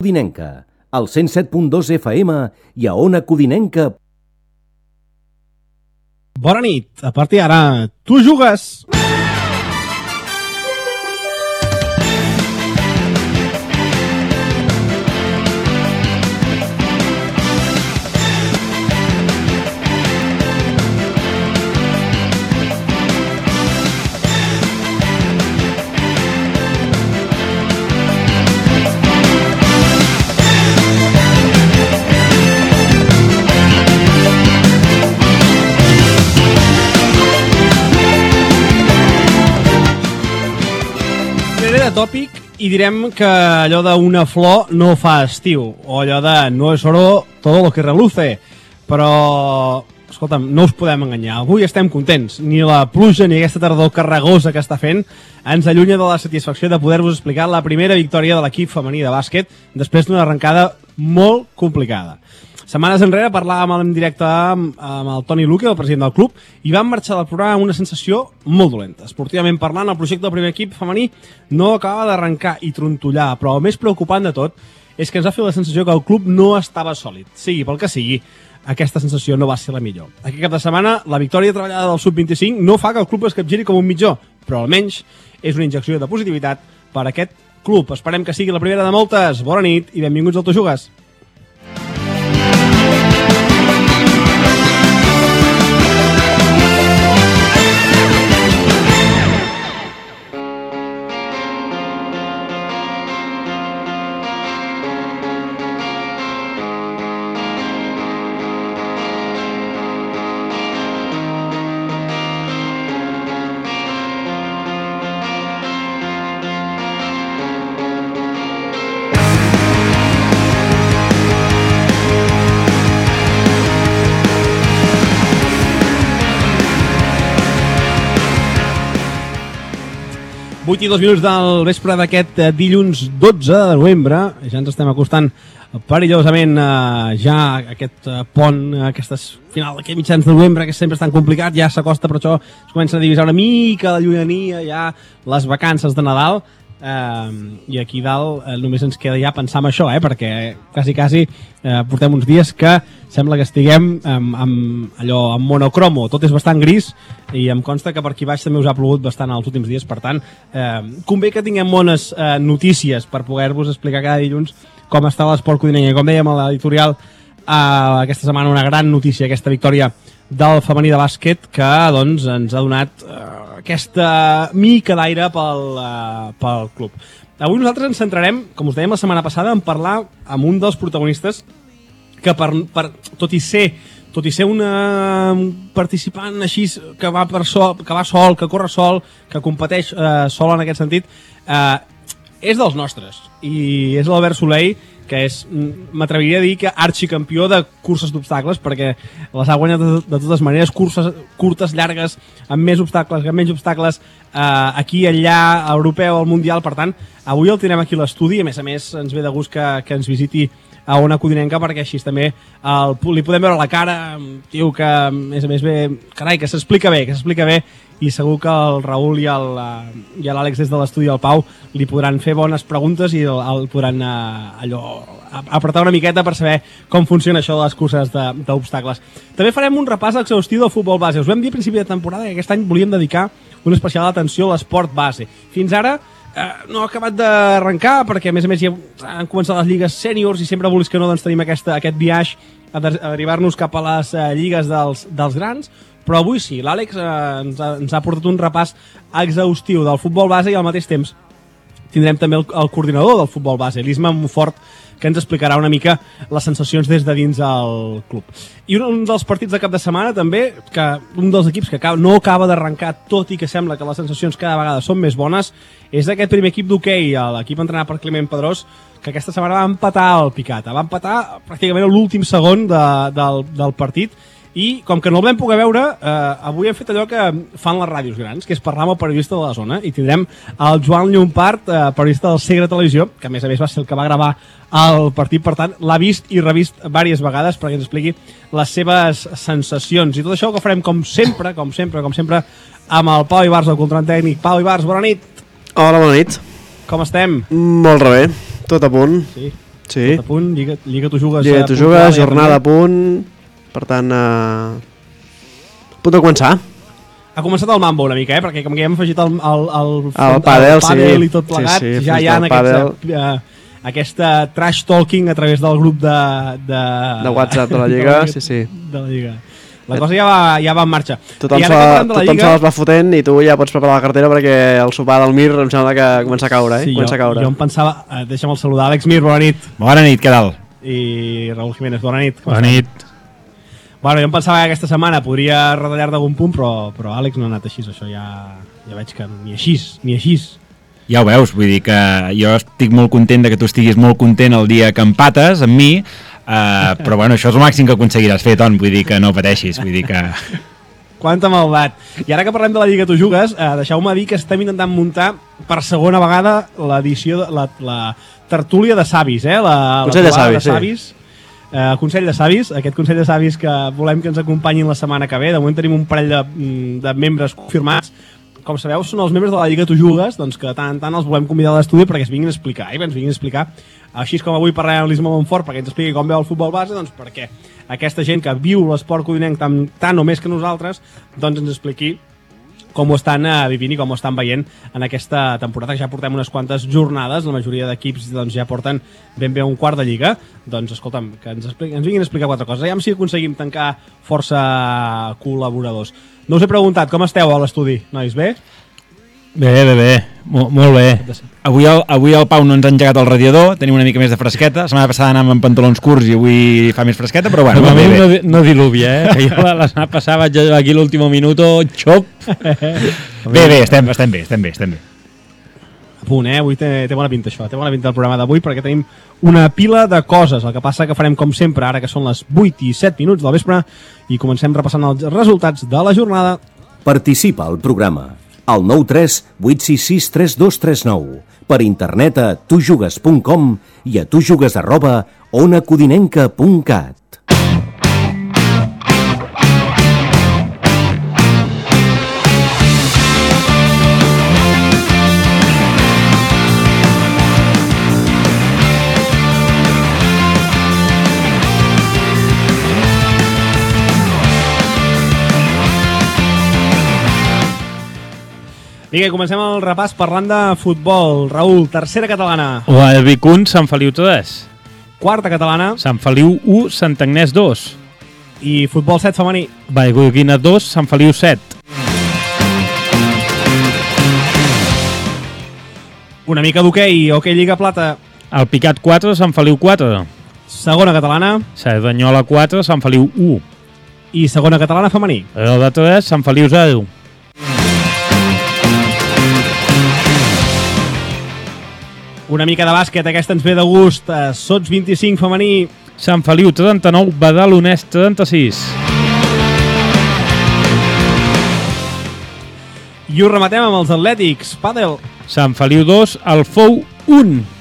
Codinenca, al 107.2 FM i a Ona Codinenca. Bona nit, a partir d'ara, tu jugues! Tòpic i direm que allò d'una flor no fa estiu, o allò de no és oro todo lo que reluce, però escolta'm, no us podem enganyar, avui estem contents, ni la pluja ni aquesta tardor carregosa que està fent ens allunya de la satisfacció de poder-vos explicar la primera victòria de l'equip femení de bàsquet després d'una arrencada molt complicada. Setmanes enrere parlàvem en directe amb el Toni Luque, el president del club, i vam marxar del programa amb una sensació molt dolenta. Esportivament parlant, el projecte del primer equip femení no acaba d'arrencar i trontollar, però el més preocupant de tot és que ens va fer la sensació que el club no estava sòlid. Sigui pel que sigui, aquesta sensació no va ser la millor. Aquest cap de setmana, la victòria treballada del Sub-25 no fa que el club es capgiri com un mitjó, però almenys és una injecció de positivitat per a aquest club. Esperem que sigui la primera de moltes. Bona nit i benvinguts al Tu Jugues. I 2 minuts del vespre d'aquest dilluns 12 de novembre. Ja ens estem acostant perillosament ja a aquest pont, aquest final d'aquest mitjans de novembre, que sempre és tan complicat, ja s'acosta, però això es comença a divisar una mica la llunyania, ja les vacances de Nadal, i aquí dalt només ens queda ja pensar en això, perquè quasi portem uns dies que sembla que estiguem amb monocromo, tot és bastant gris i em consta que per aquí baix també us ha plogut bastant els últims dies, per tant convé que tinguem bones notícies per poder-vos explicar cada dilluns com està l'esport codinenc. Com dèiem a l'editorial, aquesta setmana una gran notícia, aquesta victòria del femení de bàsquet que doncs ens ha donat aquesta mica d'aire pel club. Avui nosaltres ens centrarem, com us dèiem la setmana passada, en parlar amb un dels protagonistes que tot i ser un participant així que va sol, que corre sol, que competeix sol en aquest sentit, és dels nostres, i és l'Albert Soleil, que és, m'atreviria a dir que arxicampió de curses d'obstacles, perquè les ha guanyat de totes maneres, curses curtes, llargues, amb més obstacles, amb menys obstacles, aquí, allà, europeu, al mundial. Per tant, avui el tindrem aquí a l'estudi, a més ens ve de gust que ens visiti a Ona Codinenca, perquè així també li podem veure la cara, tio que a més ve, carai, que s'explica bé, i segur que el Raül i l'Àlex des de l'estudi del Pau li podran fer bones preguntes i el podran apretar una miqueta per saber com funciona això de les curses d'obstacles. També farem un repàs exhaustiu del futbol base. Us vam dir a principi de temporada que aquest any volíem dedicar una especial atenció a l'esport base. Fins ara no ha acabat d'arrencar, perquè a més ja han començat les lligues sèniors i sempre volis que no doncs tenim aquest viatge a derivar-nos cap a les lligues dels grans, però avui sí, l'Àlex ens ha portat un repàs exhaustiu del futbol base i al mateix temps tindrem també el coordinador del futbol base, l'Isma Monfort, que ens explicarà una mica les sensacions des de dins el club. I un dels partits de cap de setmana també, que un dels equips que no acaba d'arrencar, tot i que sembla que les sensacions cada vegada són més bones, és aquest primer equip d'hoquei, l'equip entrenat per Climent Pedrós, que aquesta setmana va empatar el Picata. Va empatar pràcticament a l'últim segon del partit, i com que no el vam poder veure, avui hem fet allò que fan les ràdios grans, que és parlar amb el periodista de la zona, i tindrem el Joan Llompart, periodista del Segre Televisió, que a més va ser el que va gravar el partit, per tant l'ha vist i revist diverses vegades perquè ens expliqui les seves sensacions, i tot això que farem com sempre amb el Pau Ibars, el controlant tècnic. Pau Ibars, bona nit. Hola, bona nit. Com estem? Molt bé, tot a punt. Sí. Sí. Tot a punt, Lliga tu jugues... Lliga tu jugues, jornada a punt, per tant, a punt de començar. Ha començat el mambo una mica, perquè com que ja hem afegit el pàdel, sí. I tot plegat, sí, ja hi ha aquesta trash talking a través del grup de WhatsApp de la Lliga, sí. De la Lliga. La cosa ja va en marxa. Tothom se les va fotent i tu ja pots preparar la cartera perquè el sopar del Mir em sembla que comença a caure, Sí, jo em pensava... Deixa'm saludar Àlex Mir, bona nit. Bona nit, què tal? I Raúl Jiménez, bona nit. Bona nit. Bueno, jo em pensava que aquesta setmana podria retallar d'algun punt, però Àlex no ha anat així, això ja veig que ni així. Ja ho veus, vull dir que jo estic molt content de que tu estiguis molt content el dia que empates amb mi, però bueno, això és el màxim que aconseguiràs fer, Ton, vull dir que no pateixis, vull dir que... Quanta maldat. I ara que parlem de la Lliga Tu Jugues, deixeu-me dir que estem intentant muntar per segona vegada l'edició, la tertúlia de savis, Consell de savis, el Consell de Savis, aquest Consell de Savis que volem que ens acompanyin la setmana que ve. De moment tenim un parell de membres confirmats. Com sabeu, són els membres de la Lliga Tu Jugues, doncs que tant els volem convidar a l'estudi perquè ens vinguin a explicar, així com avui parlarem amb l'Isma Montfort perquè ens expliqui com veu el futbol base, doncs perquè aquesta gent que viu l'esport codinenc tant o més que nosaltres, doncs ens expliqui com ho estan vivint i com ho estan veient en aquesta temporada, que ja portem unes quantes jornades, la majoria d'equips doncs, ja porten ben bé un quart de Lliga. Doncs escolta'm, que ens vinguin a explicar 4 coses. Aviam si aconseguim tancar força col·laboradors. No us he preguntat, com esteu a l'estudi, nois, bé? Bé, molt bé. Avui el Pau no ens ha engegat el radiador, tenim una mica més de fresqueta. La setmana passada anàvem amb pantalons curts i avui fa més fresqueta, però bueno, bé. No diluvia, que jo la setmana passada vaig aquí l'últim minuto, xop. Bé, estem bé. A punt, avui té bona pinta això, té bona pinta el programa d'avui perquè tenim una pila de coses. El que passa que farem com sempre, ara que són les 8 i 7 minuts del vespre, i comencem repassant els resultats de la jornada. Participa al programa al 93 866 3239, per internet a tujugues.com i a tujugues@onacodinenca.cat. Vinga, comencem el repàs parlant de futbol. Raúl, tercera catalana. El Vic 1, Sant Feliu 3. Quarta catalana. Sant Feliu 1, Sant Agnès 2. I futbol 7 femení. Vallgorguina 2, Sant Feliu 7. Una mica d'hoquei, hoquei Lliga Plata. El Picat 4, Sant Feliu 4. Segona catalana. Cerdanyola 4, Sant Feliu 1. I segona catalana femení. El de 3, Sant Feliu 0. Una mica de bàsquet, aquesta ens ve de gust. Sots 25 femení. Sant Feliu 39, Badalonès 36. I ho rematem amb els atlètics. Pàdel. Sant Feliu 2, Alfou 1.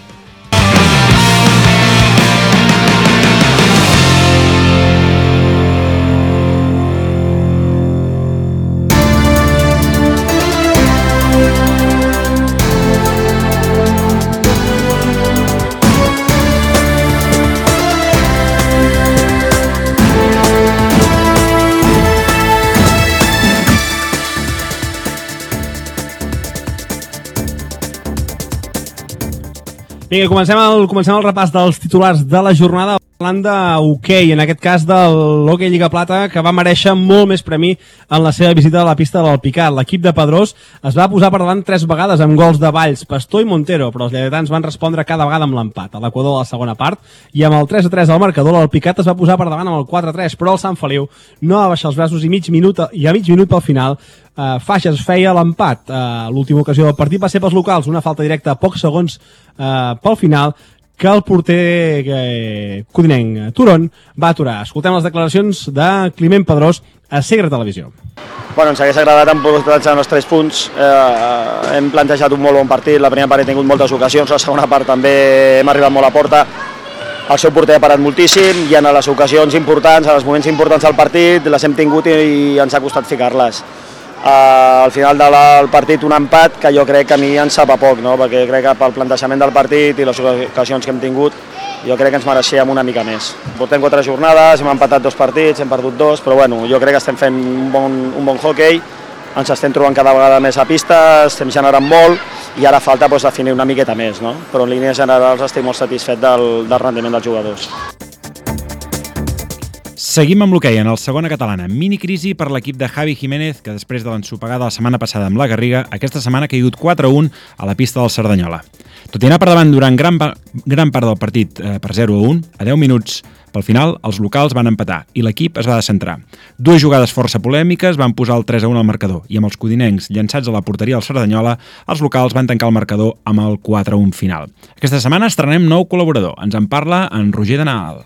Vinga, comencem el repàs dels titulars de la jornada parlant d'hoquei, en aquest cas de l'Hoquei Lliga Plata, que va mereixer molt més premi en la seva visita a la pista de l'Alpicat. L'equip de Pedrós es va posar per davant 3 vegades amb gols de Valls, Pastor i Montero, però els lleidatans van respondre cada vegada amb l'empat a l'Equador de la segona part, i amb el 3-3 al marcador l'Alpicat es va posar per davant amb el 4-3, però el Sant Feliu no va baixar els braços i a mig minut pel final Faixas feia l'empat. L'última ocasió del partit va ser pels locals, una falta directa a pocs segons pel final que el porter codinenc Turon va aturar. Escoltem les declaracions de Climent Pedrós a Segre Televisió. Bueno, ens hagués agradat en portar els 3 punts. Hem plantejat un molt bon partit, la primera part he tingut moltes ocasions, la segona part també hem arribat molt a porta. El seu porter ha parat moltíssim i en les ocasions importants, en els moments importants del partit, les hem tingut i ens ha costat ficar-les. al final del partit un empat que jo crec que a mi ens sap a poc, no? Perquè crec que pel plantejament del partit i les ocasions que hem tingut jo crec que ens mereixíem una mica més. Portem 4 jornades, hem empatat 2 partits, hem perdut 2, però bueno, jo crec que estem fent un bon hoquei, ens estem trobant cada vegada més a pista, estem generant molt i ara falta definir una miqueta més, no? Però en línies generals estic molt satisfet del rendiment dels jugadors. Seguim amb l'hoquei en el segona catalana. Minicrisi per l'equip de Javi Jiménez, que després de l'ensopegada la setmana passada amb la Garriga, aquesta setmana ha caigut 4-1 a la pista del Cerdanyola. Tot i anar per davant durant gran part del partit per 0-1, a 10 minuts pel final els locals van empatar i l'equip es va descentrar. 2 jugades força polèmiques van posar el 3-1 al marcador i amb els codinencs llançats a la porteria del Cerdanyola, els locals van tancar el marcador amb el 4-1 final. Aquesta setmana estrenem nou col·laborador. Ens en parla en Roger de Nadal.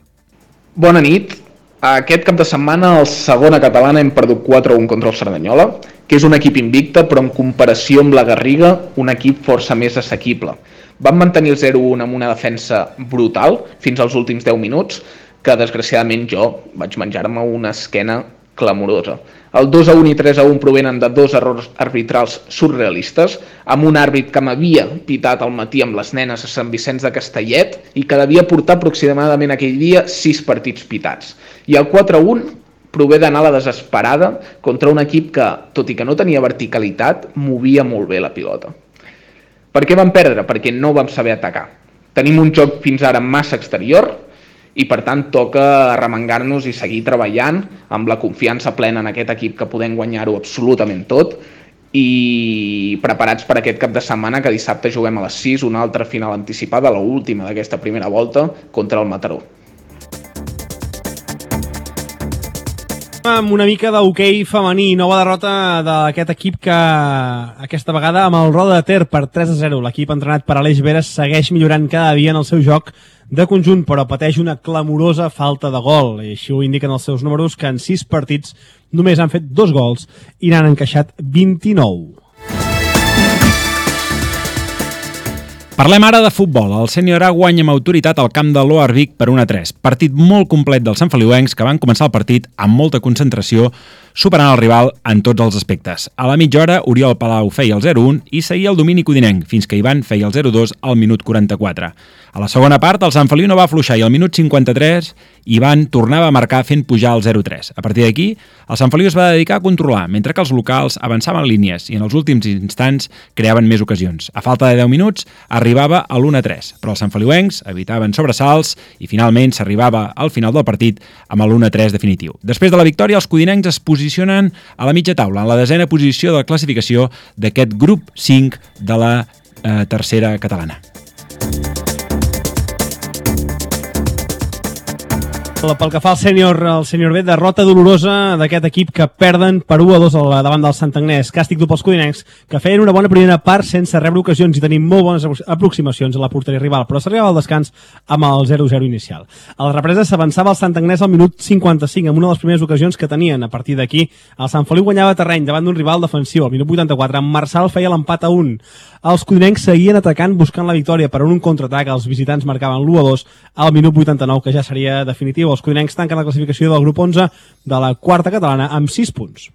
Bona nit. Aquest cap de setmana al segona catalana hem perdut 4-1 contra el Cerdanyola, que és un equip invicte, però en comparació amb la Garriga, un equip força més assequible. Vam mantenir el 0-1 amb una defensa brutal fins als últims 10 minuts, que desgraciadament jo vaig menjar-me una esquena clamorosa. El 2-1 i 3-1 provenen de 2 errors arbitrals surrealistes, amb un àrbit que m'havia pitat al matí amb les nenes a Sant Vicenç de Castellet i que devia portar aproximadament aquell dia 6 partits pitats. I el 4-1 prové d'anar a la desesperada contra un equip que, tot i que no tenia verticalitat, movia molt bé la pilota. Per què vam perdre? Perquè no vam saber atacar. Tenim un joc fins ara massa exterior i per tant toca arremangar-nos i seguir treballant amb la confiança plena en aquest equip que podem guanyar-ho absolutament tot i preparats per aquest cap de setmana que dissabte juguem a les 6 una altra final anticipada, l'última d'aquesta primera volta contra el Mataró. Amb una mica d'hoquei femení, nova derrota d'aquest equip que aquesta vegada amb el Roda de Ter per 3-0. L'equip entrenat per Aleix Veres segueix millorant cada dia en el seu joc de conjunt, però pateix una clamorosa falta de gol. I així ho indiquen els seus números, que en 6 partits només han fet 2 gols i n'han encaixat 29. Parlem ara de futbol. El Sènior A guanya amb autoritat al camp de l'Oar Vic per 1-3. Partit molt complet dels santfeliuencs que van començar el partit amb molta concentració, superant el rival en tots els aspectes. A la mitja hora, Oriol Palau feia el 0-1 i seguia el domini codinenc, fins que Ivan feia el 0-2 al minut 44. A la segona part, el Sant Feliu no va afluixar i al minut 53 Ivan tornava a marcar fent pujar el 0-3. A partir d'aquí, el Sant Feliu es va dedicar a controlar, mentre que els locals avançaven línies i en els últims instants creaven més ocasions. A falta de 10 minuts, arribava a l'1-3, però els santfeliuencs evitaven sobresalts i finalment s'arribava al final del partit amb l'1-3 definitiu. Després de la victòria, els codinencs es posicionen a la mitja taula, en la 10a posició de la classificació d'aquest grup 5 de la tercera catalana. Pel que fa al sènior B, derrota dolorosa d'aquest equip que perden per 1-2 davant del Sant Agnès. Càstig dur pels codinencs, que feien una bona primera part sense rebre ocasions i tenir molt bones aproximacions a la porteria rival, però s'arribava al descans amb el 0-0 inicial. A la represa s'avançava el Sant Agnès al minut 55, amb una de les primeres ocasions que tenien. A partir d'aquí, el Sant Feliu guanyava terreny davant d'un rival defensiu. Al minut 84, en Marçal feia l'empat a 1. Els codinencs seguien atacant buscant la victòria, però en un contraatac els visitants marcaven l'1-2 al minut 89, que ja seria definitiu. Els codinencs tanquen la classificació del grup 11 de la quarta catalana amb 6 punts.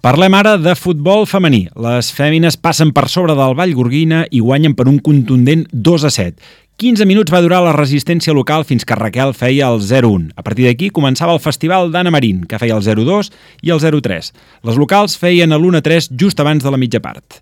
Parlem ara de futbol femení. Les fèmines passen per sobre del Vallgorguina i guanyen per un contundent 2-7. 15 minuts va durar la resistència local fins que Raquel feia el 0-1. A partir d'aquí començava el festival d'Anna Marín, que feia el 0-2 i el 0-3. Les locals feien l'1-3 just abans de la mitja part.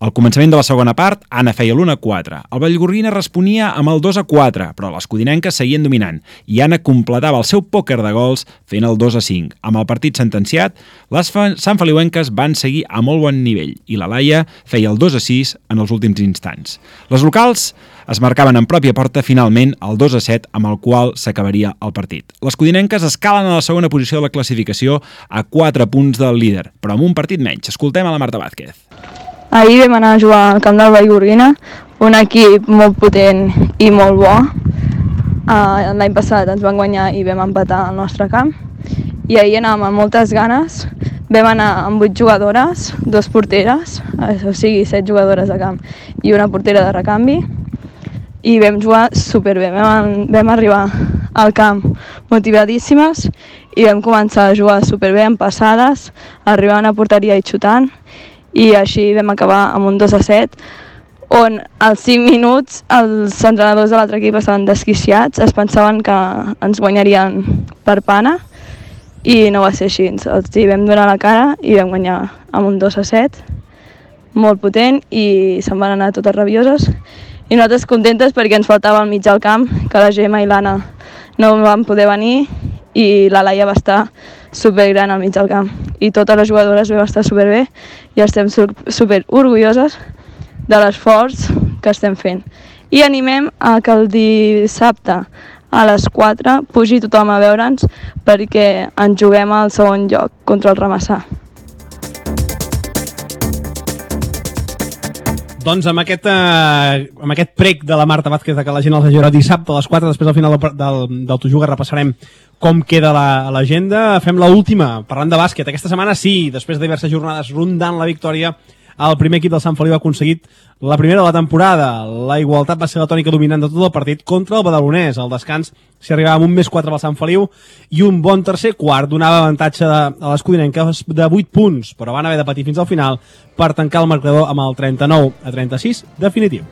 Al començament de la segona part, Anna feia l'1-4. El Vallgorguina responia amb el 2-4, però les codinenques seguien dominant i Anna completava el seu pòquer de gols fent el 2-5. Amb el partit sentenciat, les santfeliuenques van seguir a molt bon nivell i la Laia feia el 2-6 en els últims instants. Les locals es marcaven en pròpia porta finalment el 2-7 amb el qual s'acabaria el partit. Les codinenques escalen a la segona posició de la classificació a 4 punts del líder, però amb un partit menys. Escoltem a la Marta Vázquez. Ahir vam anar a jugar al camp del Vallgorguina, un equip molt potent i molt bo. L'any passat ens van guanyar i vam empatar al nostre camp. I ahir anàvem amb moltes ganes. Vam anar amb 8 jugadores, 2 porteres, o sigui 7 jugadores de camp i una portera de recanvi. I vam jugar superbé, vam arribar al camp motivadíssimes i vam començar a jugar superbé amb passades, arribant a porteria i xutant, i així vam acabar amb un 2-7, on als 5 minuts els entrenadors de l'altre equip estaven desquiciats, es pensaven que ens guanyarien per pana, i no va ser així. Els vam donar la cara i vam guanyar amb un 2-7, molt potent, i se'n van anar totes rabioses. I nosaltres contentes perquè ens faltava al mig del camp, que la Gemma i l'Anna no van poder venir i la Laia va estar supergran al mig del camp. I totes les jugadores vam estar superbé i estem super orgulloses de l'esforç que estem fent. I animem a que el dissabte a les 4 pugi tothom a veure'ns perquè ens juguem al segon lloc contra el Ramassà. Doncs amb aquest prec de la Marta Vázquez que la gent els ajudarà dissabte a les 4, després al final del Tu Juga repassarem com queda l'agenda. Fem l'última, parlant de bàsquet. Aquesta setmana sí, després de diverses jornades rondant la victòria, el primer equip del Sant Feliu ha aconseguit la primera de la temporada. La igualtat va ser la tònica dominant de tot el partit contra el Badalonès. Al descans s'hi arribava amb un +4 pel Sant Feliu i un bon tercer quart donava avantatge a les codinenques de 8 punts, però van haver de patir fins al final per tancar el marcador amb el 39-36 definitiu.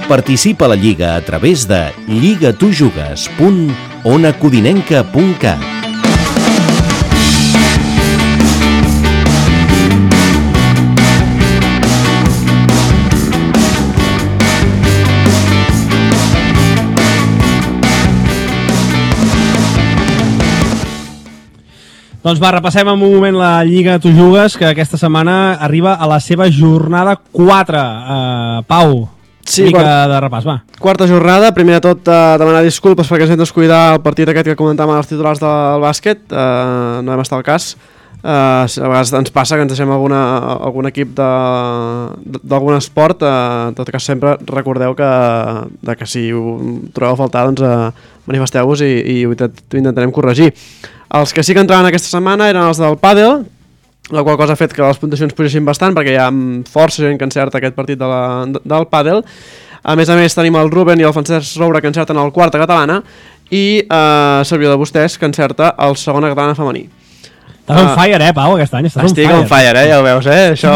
Participa a la Lliga a través de lligatujugues.onacodinenca.cat. Doncs va, repassem en un moment la Lliga Tu Jugues, que aquesta setmana arriba a la seva jornada 4. Pau, sí, mica de repàs, va. Quarta jornada, primer de tot demanar disculpes perquè ens hem descuidar el partit aquest que comentàvem als titulars del bàsquet, no hem estat al cas. A vegades ens passa que ens deixem algun equip d'algun esport, en tot cas sempre recordeu que si ho trobeu a faltar, doncs manifesteu-vos i ho intentarem corregir. Els que sí que entraven aquesta setmana eren els del pàdel, la qual cosa ha fet que les puntuacions pugessin bastant perquè hi ha força gent que encerta aquest partit del pàdel. A més, tenim el Ruben i el Francesc Roure que encerten el quarta catalana i servidor de vostès que encerta el segona catalana femení. Estàs on fire, Pau, aquest any. Estic on fire, ja ho veus, això.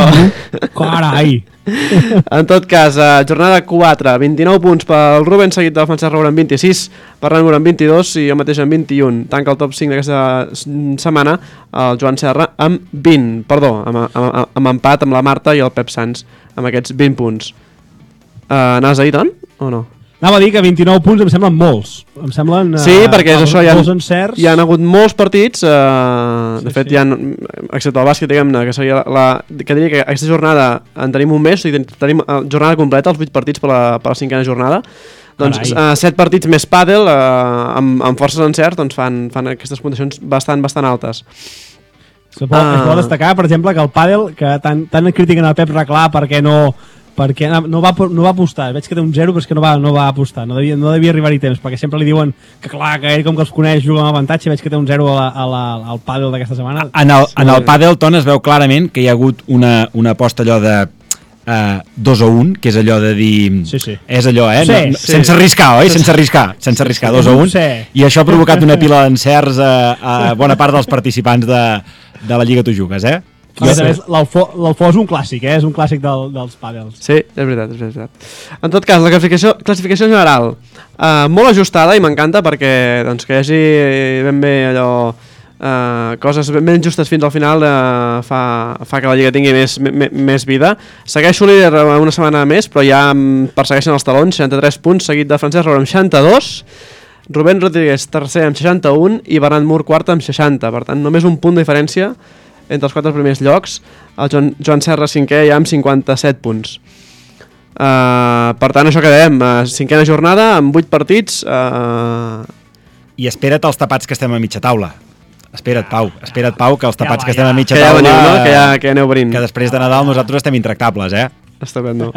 Carai! En tot cas, jornada 4, 29 punts pel Ruben, seguit del Francesc Roure amb 26, Ferran Mur amb 22 i jo mateix amb 21. Tanca el top 5 d'aquesta setmana el Joan Serra amb 20, amb empat amb la Marta i el Pep Sans amb aquests 20 punts. Anaves a dir tant o no? Anava a dir que 29 punts em semblen molts. Em semblen sí, perquè és això, molts encerts. Hi ha hagut molts partits, de fet, excepte el bàsquet, diguem-ne, que seria que diria que aquesta jornada en tenim un mes, tenim jornada completa, els 8 partits per la 5a jornada. Doncs 7 partits més pàdel, amb forces encerts, doncs fan aquestes puntuacions bastant altes. Es pot destacar, per exemple, que el pàdel, que tant critiquen el Pep Reclà perquè no va apostar, veig que té un 0 però és que no va apostar, no devia arribar-hi temps, perquè sempre li diuen que clar, que ell com que els coneix juga amb avantatge, veig que té un 0 al pàdel d'aquesta setmana. En el pàdel, Ton, es veu clarament que hi ha hagut una aposta allò de 2 o 1, que és allò de dir... Sí. És allò, Sí. Sense arriscar, oi? Sense arriscar, 2 o 1. Sí. I això ha provocat una pila d'encerts a bona part dels participants de la Lliga Tu Jugues, L'Alfó és un clàssic, és un clàssic dels pàdels. Sí, és veritat. En tot cas, la classificació general molt ajustada i m'encanta perquè doncs, que hi hagi ben bé allò coses ben justes fins al final fa que la Lliga tingui més vida. Segueixo líder una setmana més, però ja persegueixen els talons, 63 punts, seguit de Francesc Roure amb 62, Rubén Rodríguez tercer amb 61 i Bernat Mur quart amb 60. Per tant, només un punt de diferència entre els 4 primers llocs. El Joan Serra cinquè ja amb 57 punts. Per tant, això que dèiem, 5a jornada amb 8 partits. I espera't els tapats que estem a mitja taula. Espera't, Pau, que els tapats que estem a mitja taula... Que ja aneu venint. Que després de Nadal nosaltres estem intractables, Estupendo.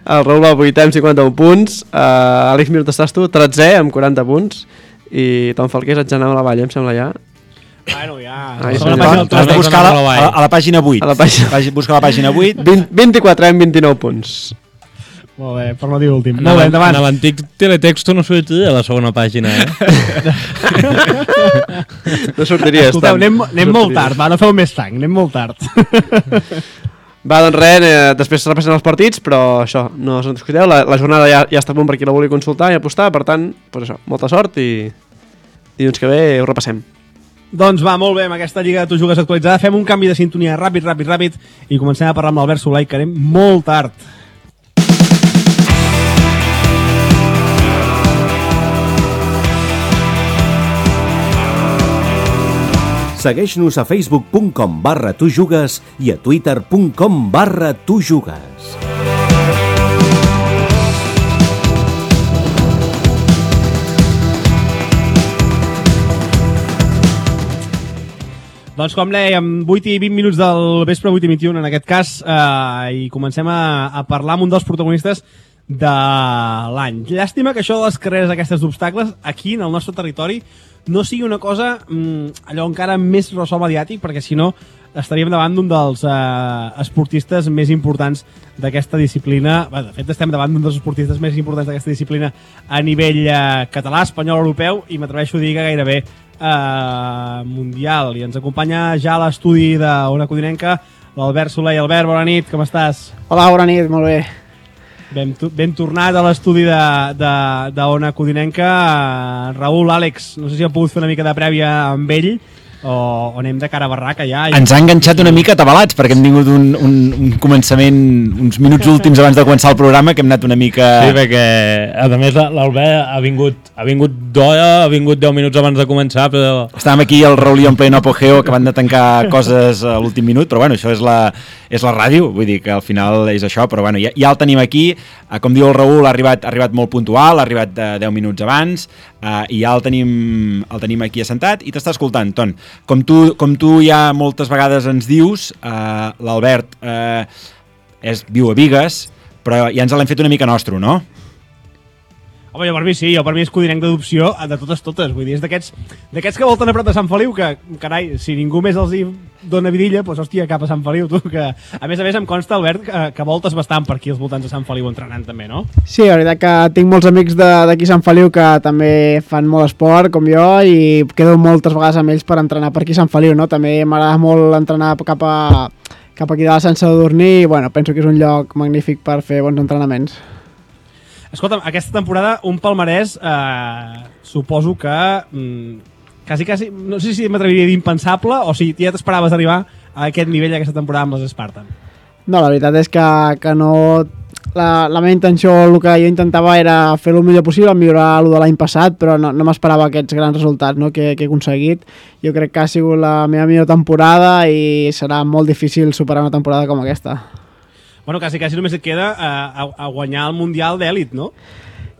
El Raül al 8è amb 51 punts, Àlex Mir estàs tu, 13è amb 40 punts, i Tom Falqués et genava la valla, em sembla ja. Bueno, ja... Ai, Has de buscar a la pàgina 8. A la pàgina... Busca la pàgina 8. 24 amb 29 punts. Molt bé, per no dir últim. Molt bé, endavant. En l'antic teletexto no sortia a la segona pàgina, No sortiries. Escolteu, anem molt tard, va, no feu més sang, anem molt tard. Va, doncs res, després repassem els partits, però això, no us en discuteu, la jornada ja està a punt per qui la vulgui consultar i apostar, per tant, doncs això, molta sort i dilluns que ve ho repassem. Doncs va, molt bé, amb aquesta Lliga de Tu Jugues actualitzada fem un canvi de sintonia ràpid i comencem a parlar amb l'Albert Soler, que anem molt tard. Segueix-nos a facebook.com/tujugues i a twitter.com/tujugues. Doncs com dèiem, 8 i 20 minuts del vespre, 8 i 21 en aquest cas, i comencem a parlar amb un dels protagonistes de l'any. Llàstima que això de les carreres aquestes d'obstacles aquí en el nostre territori no sigui una cosa allò encara més ressò mediàtic, perquè si no estaríem davant d'un dels esportistes més importants d'aquesta disciplina. Bé, de fet estem davant d'un dels esportistes més importants d'aquesta disciplina a nivell català, espanyol, europeu i m'atreveixo a dir que gairebé mundial. I ens acompanya ja a l'estudi d'Ona Codinenca l'Albert Soler. Albert, bona nit, com estàs? Hola, bona nit, molt bé. Ben tornat a l'estudi d'Ona Codinenca. Raül, Àlex, no sé si heu pogut fer una mica de prèvia amb ell o anem de cara a barraca ja. Ens ha enganxat una mica atabalats perquè hem tingut un començament, uns minuts últims abans de començar el programa que hem anat una mica... Sí, perquè a més l'Albert ha vingut d'hora, ha vingut 10 minuts abans de començar, però... Estàvem aquí al Raül en pleno apogeo, acabant de tancar coses a l'últim minut, però bueno, això és la ràdio, vull dir que al final és això, però bueno, ja el tenim aquí, com diu el Raül, ha arribat molt puntual, ha arribat 10 minuts abans, i ja el tenim aquí assentat i t'està escoltant, Ton. Com tu ja moltes vegades ens dius, l'Albert viu a Bigues, però ja ens l'hem fet una mica nostre, no? Home, jo per mi sí, per mi és codinenc d'adopció de totes, vull dir, és d'aquests que volten a prop de Sant Feliu, que, carai, si ningú més els hi dona vidilla, doncs hòstia, cap a Sant Feliu, tu, que a més em consta, Albert, que voltes bastant per aquí als voltants de Sant Feliu entrenant també, no? Sí, la veritat que tinc molts amics d'aquí a Sant Feliu que també fan molt esport, com jo, i quedo moltes vegades amb ells per entrenar per aquí a Sant Feliu, no? També m'agrada molt entrenar cap aquí de la Sant Sadurní i, bueno, penso que és un lloc magnífic per fer bons entrenaments. Escolta'm, aquesta temporada un palmarès suposo que quasi, no sé si m'atreviria a dir impensable o si ja t'esperaves arribar a aquest nivell aquesta temporada amb les Spartan. No, la veritat és que no... La meva intenció, el que jo intentava era fer el millor possible, millorar el de l'any passat, però no m'esperava aquests grans resultats, no, que he aconseguit. Jo crec que ha sigut la meva millor temporada i serà molt difícil superar una temporada com aquesta. Bueno, quasi només et queda a guanyar el Mundial d'èlit, no?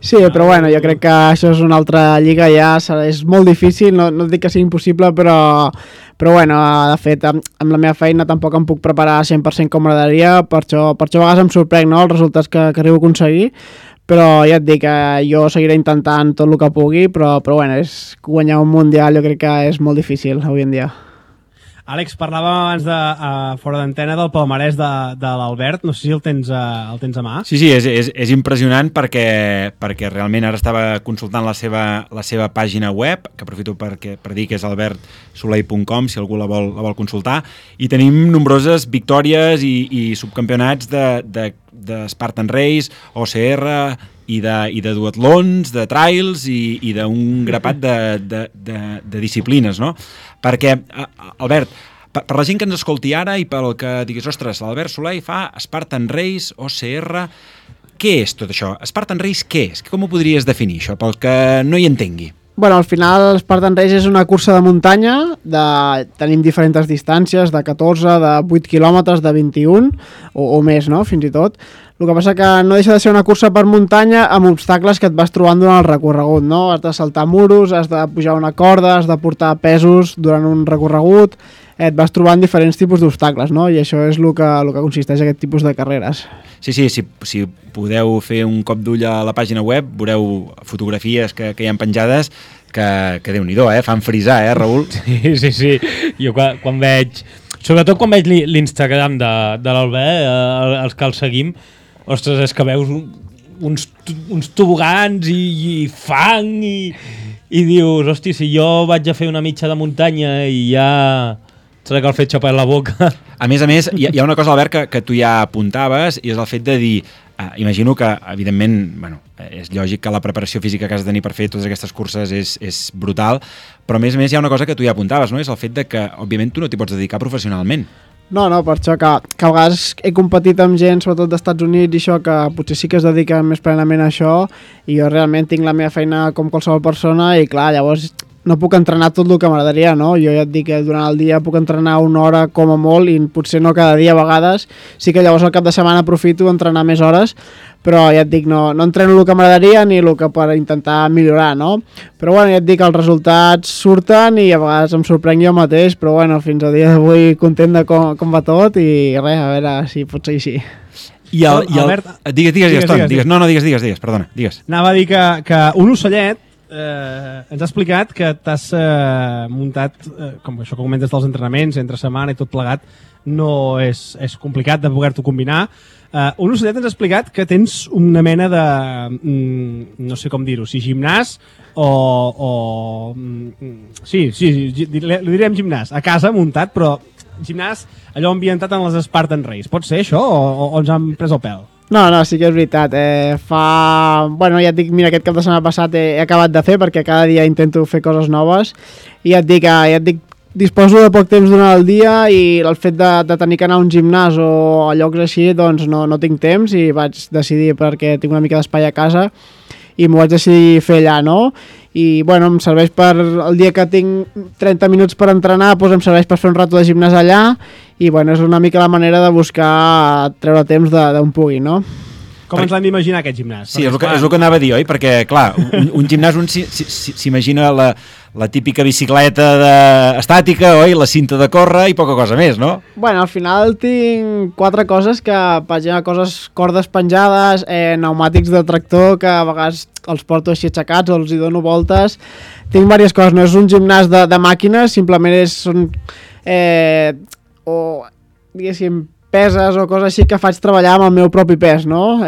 Sí, però bueno, jo crec que això és una altra lliga ja, és molt difícil, no dic que sigui impossible, però bueno, de fet, amb la meva feina tampoc em puc preparar 100% com m'agradaria, per això a vegades em sorprèn, no?, els resultats que arribo a aconseguir, però ja et dic que jo seguiré intentant tot el que pugui, però bueno, guanyar un Mundial jo crec que és molt difícil avui en dia. Àlex, parlàvem abans fora d'antena del palmarès de l'Albert, no sé si el tens a mà. Sí, és impressionant perquè realment ara estava consultant la seva pàgina web, que aprofito per dir que és albertsolei.com, si algú la vol consultar, i tenim nombroses victòries i subcampionats de Spartan Race, OCR i de duatlons, de trails i d'un grapat de disciplines, no? Perquè, Albert, per la gent que ens escolti ara i pel que diguis, ostres, l'Albert Soler fa Spartan Race, OCR... Què és tot això? Spartan Race què és? Com ho podries definir, això, pel que no hi entengui? Bueno, al final Spartan Race és una cursa de muntanya, tenim diferents distàncies, de 14, de 8 quilòmetres, de 21 o més, no? Fins i tot. El que passa que no deixa de ser una cursa per muntanya amb obstacles que et vas trobant durant el recorregut, no? Has de saltar muros, has de pujar una corda, has de portar pesos durant un recorregut, et vas trobant diferents tipus d'obstacles, no? I això és el que consisteix aquest tipus de carreres. Sí, si podeu fer un cop d'ull a la pàgina web, veureu fotografies que hi ha penjades que Déu-n'hi-do, fan frisar, Raül? Sí. Jo quan veig... Sobretot quan veig l'Instagram de l'Albert, els que el seguim, ostres, és que veus uns tobogans i fang i dius, hosti, si jo vaig a fer una mitja de muntanya i ja trec el fet xapar la boca. A més, hi ha una cosa, Albert, que tu ja apuntaves, i és el fet de dir, imagino que, evidentment, bueno, és lògic que la preparació física que has de tenir per fer totes aquestes curses és brutal, però a més hi ha una cosa que tu ja apuntaves, no? És el fet de que, òbviament, tu no t'hi pots dedicar professionalment. No, per això que a vegades he competit amb gent, sobretot dels Estats Units, i això que potser sí que es dedica més plenament a això, i jo realment tinc la meva feina com qualsevol persona, i clar, llavors no puc entrenar tot el que m'agradaria, no? Jo ja et dic que durant el dia puc entrenar una hora com a molt, i potser no cada dia a vegades, sí que llavors al cap de setmana aprofito entrenar més hores, però ja et dic, no entreno el que m'agradaria ni el que per intentar millorar, no? Però bueno, ja et dic, els resultats surten i a vegades em sorprenc jo mateix, però bueno, fins al dia d'avui content de com va tot i res, a veure si pot ser així. Albert... Digues, Ton, digues. No, digues, perdona, digues. Anava a dir que un ocellet ens ha explicat que t'has muntat, com això que comentes dels entrenaments, entre setmana i tot plegat, no és complicat de poder-t'ho combinar. Un ocellet ens ha explicat que tens una mena de, no sé com dir-ho, si gimnàs o sí, li direm gimnàs, a casa muntat, però gimnàs allò ambientat en les Spartan Race. Pot ser això o ens han pres el pèl? No, sí que és veritat. Bueno, ja et dic, mira, aquest cap de setmana passat he acabat de fer perquè cada dia intento fer coses noves i ja et dic, disposo de poc temps durant el dia i el fet de tenir que anar a un gimnàs o a llocs així, doncs no tinc temps i vaig decidir, perquè tinc una mica d'espai a casa, i m'ho vaig decidir fer allà, no? I bueno, em serveix per el dia que tinc 30 minuts per entrenar, doncs em serveix per fer un rato de gimnàs allà, i bueno, és una mica la manera de buscar treure temps d'on pugui, no? Com ens l'hem d'imaginar aquest gimnàs? Sí, és el que anava a dir, oi? Perquè, clar, un gimnàs s'imagina la típica bicicleta estàtica, oi? La cinta de córrer i poca cosa més, no? Bueno, al final tinc 4 coses que, per exemple, cordes penjades, pneumàtics de tractor, que a vegades els porto així aixecats o els hi dono voltes. Tinc diverses coses, no és un gimnàs de màquines, simplement són diguéssim, peses o coses així que faig treballar amb el meu propi pes, no?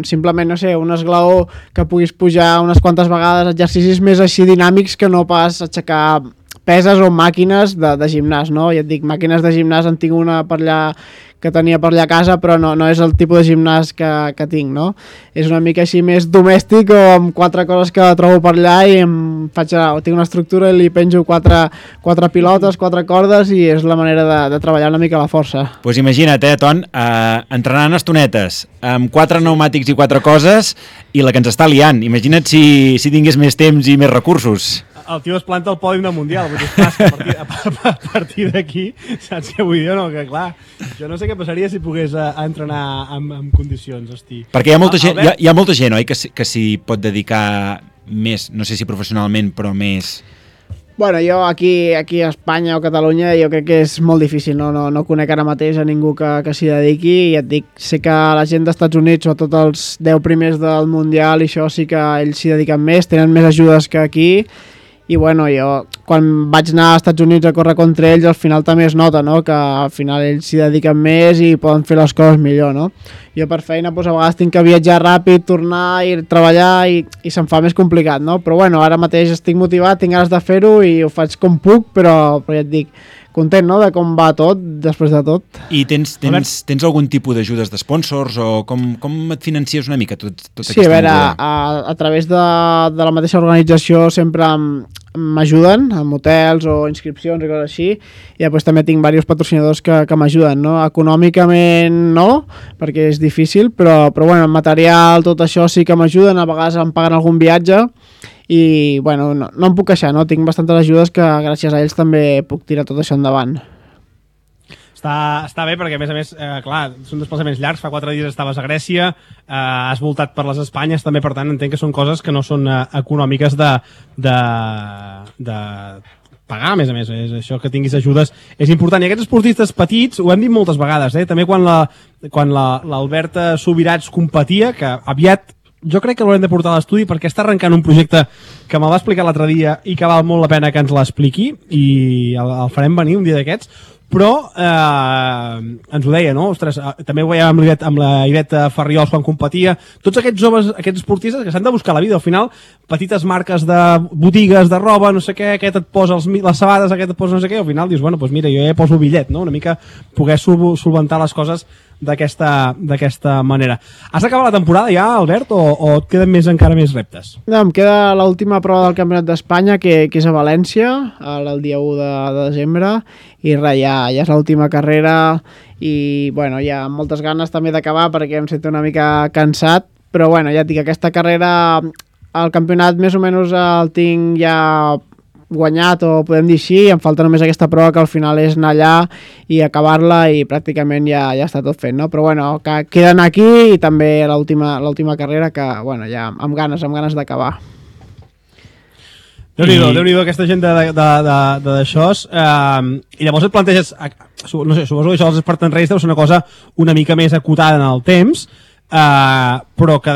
Simplement, no sé, un esglaó que puguis pujar unes quantes vegades, exercicis més així dinàmics que no pas aixecar peses o màquines de gimnàs, no? Ja et dic, màquines de gimnàs en tinc una per allà que tenia per allà a casa, però no és el tipus de gimnàs que tinc, no? És una mica així més domèstic o amb 4 coses que trobo per allà i tinc una estructura i li penjo 4 pilotes, 4 cordes i és la manera de treballar una mica la força. Doncs imagina't, Ton, entrenant estonetes amb 4 pneumàtics i 4 coses i la que ens està liant. Imagina't si tingués més temps i més recursos. El tio es planta al pòdium del Mundial, vull dir, que a partir d'aquí, saps què vull dir? No, que clar, jo no sé què passaria si pogués entrenar en condicions, hosti. Perquè hi ha molta gent, oi, que s'hi pot dedicar més, no sé si professionalment, però més... Bueno, jo aquí a Espanya o Catalunya jo crec que és molt difícil, no conec ara mateix a ningú que s'hi dediqui i et dic, sé que la gent dels Estats Units, sobretot els 10 primers del Mundial i això sí que ells s'hi dediquen més, tenen més ajudes que aquí. I bueno, jo quan vaig anar als Estats Units a córrer contra ells al final també es nota, no? Que al final ells s'hi dediquen més i poden fer les coses millor, no? Jo per feina doncs, a vegades tinc que viatjar ràpid, tornar i treballar i se'm fa més complicat, no? Però bueno, ara mateix estic motivat, tinc ganes de fer-ho i ho faig com puc, però ja et dic, content, no?, de com va tot, després de tot. I tens algun tipus d'ajudes d'esponsors o com et financies una mica tot aquesta Sí, a veure, a través de la mateixa organització sempre m'ajuden amb hotels o inscripcions i coses així, i després també tinc diversos patrocinadors que m'ajuden, no? Econòmicament no, perquè és difícil, però bueno, en material, tot això sí que m'ajuden, a vegades em paguen algun viatge, i bueno, no em puc queixar, no? Tinc bastantes ajudes que gràcies a ells també puc tirar tot això endavant. Està bé perquè, a més, clar, són desplaçaments llargs, fa 4 dies estaves a Grècia, has voltat per les Espanyes, també, per tant, entenc que són coses que no són econòmiques de pagar, a més, és això que tinguis ajudes és important. I aquests esportistes petits, ho hem dit moltes vegades, també quan l'Albert Subirats competia, que aviat jo crec que l'haurem de portar a l'estudi perquè està arrencant un projecte que me'l va explicar l'altre dia i que val molt la pena que ens l'expliqui i el farem venir un dia d'aquests, però ens ho deia, no? Ostres, també ho veiem amb la Ivet Farriols quan competia, tots aquests joves, aquests esportistes que s'han de buscar la vida, al final petites marques de botigues de roba, no sé què, aquest et posa les sabades, aquest et posa no sé què, al final dius, bueno, doncs mira, jo ja poso el bitllet, no? Una mica poder solventar les coses d'aquesta manera. Has acabat la temporada ja, Albert, o et queden encara més reptes? No, em queda l'última prova del Campionat d'Espanya, que és a València, el dia 1 de desembre, i res, ja és l'última carrera, i bueno, hi ha moltes ganes també d'acabar perquè em sento una mica cansat, però bueno, ja et dic, aquesta carrera, el campionat més o menys el tinc ja guanyat, o podem dir així, em falta només aquesta prova que al final és anar allà i acabar-la i pràcticament ja està tot fet, no? Però bueno, que queden aquí i també l'última carrera que, bueno, ja amb ganes d'acabar. Déu-n'hi-do aquesta gent d'això. I llavors et planteges, no sé, suposo que això dels Spartan Race deu ser una cosa una mica més acotada en el temps, però que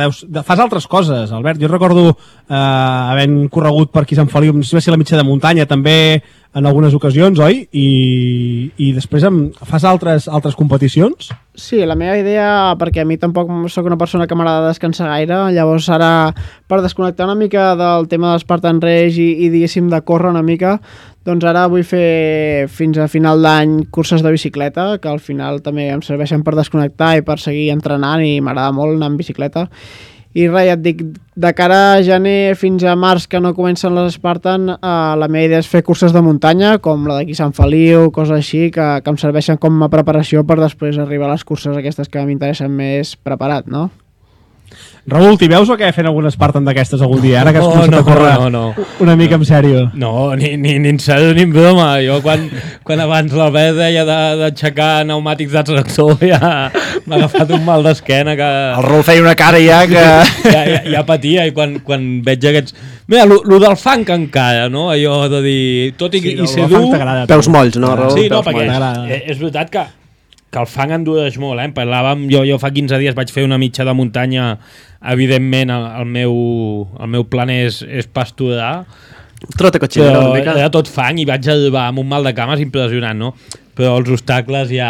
fas altres coses, Albert. Jo recordo havent corregut per aquí Sant Feliu, no sé si va ser la mitja de muntanya també en algunes ocasions, oi? I després fas altres competicions? Sí, la meva idea, perquè a mi tampoc sóc una persona que m'agrada descansar gaire, llavors ara, per desconnectar una mica del tema dels Spartan Race i diguéssim de córrer una mica, doncs ara vull fer fins a final d'any curses de bicicleta, que al final també em serveixen per desconnectar i per seguir entrenant, i m'agrada molt anar amb bicicleta. I res, ja et dic, de cara a gener fins a març, que no comencen les Spartan, la meva idea és fer curses de muntanya, com la d'aquí Sant Feliu, coses així, que em serveixen com a preparació per després arribar a les curses aquestes que m'interessen més preparat, no? Raül, t'hi veus o què fent alguna Spartan d'aquestes algun dia? Ara que has començat a córrer una mica en sèrio. No, ni en sèrio ni en broma. Jo quan abans l'Albert deia d'aixecar pneumàtics de tractor ja m'ha agafat un mal d'esquena que... El Raül feia una cara ja que... Ja patia, i quan veig aquests... Mira, lo del funk encara, no? Allò de dir... Tot i ser dur... Peus molls, no, Raül? Sí, no, perquè és veritat que el fang endureix molt, Parlàvem, jo fa 15 dies vaig fer una mitja de muntanya, evidentment el meu plan és pasturar, Trota cotxinera una mica. Era tot fang i vaig arribar amb un mal de cames impressionant, no? Però els obstacles ja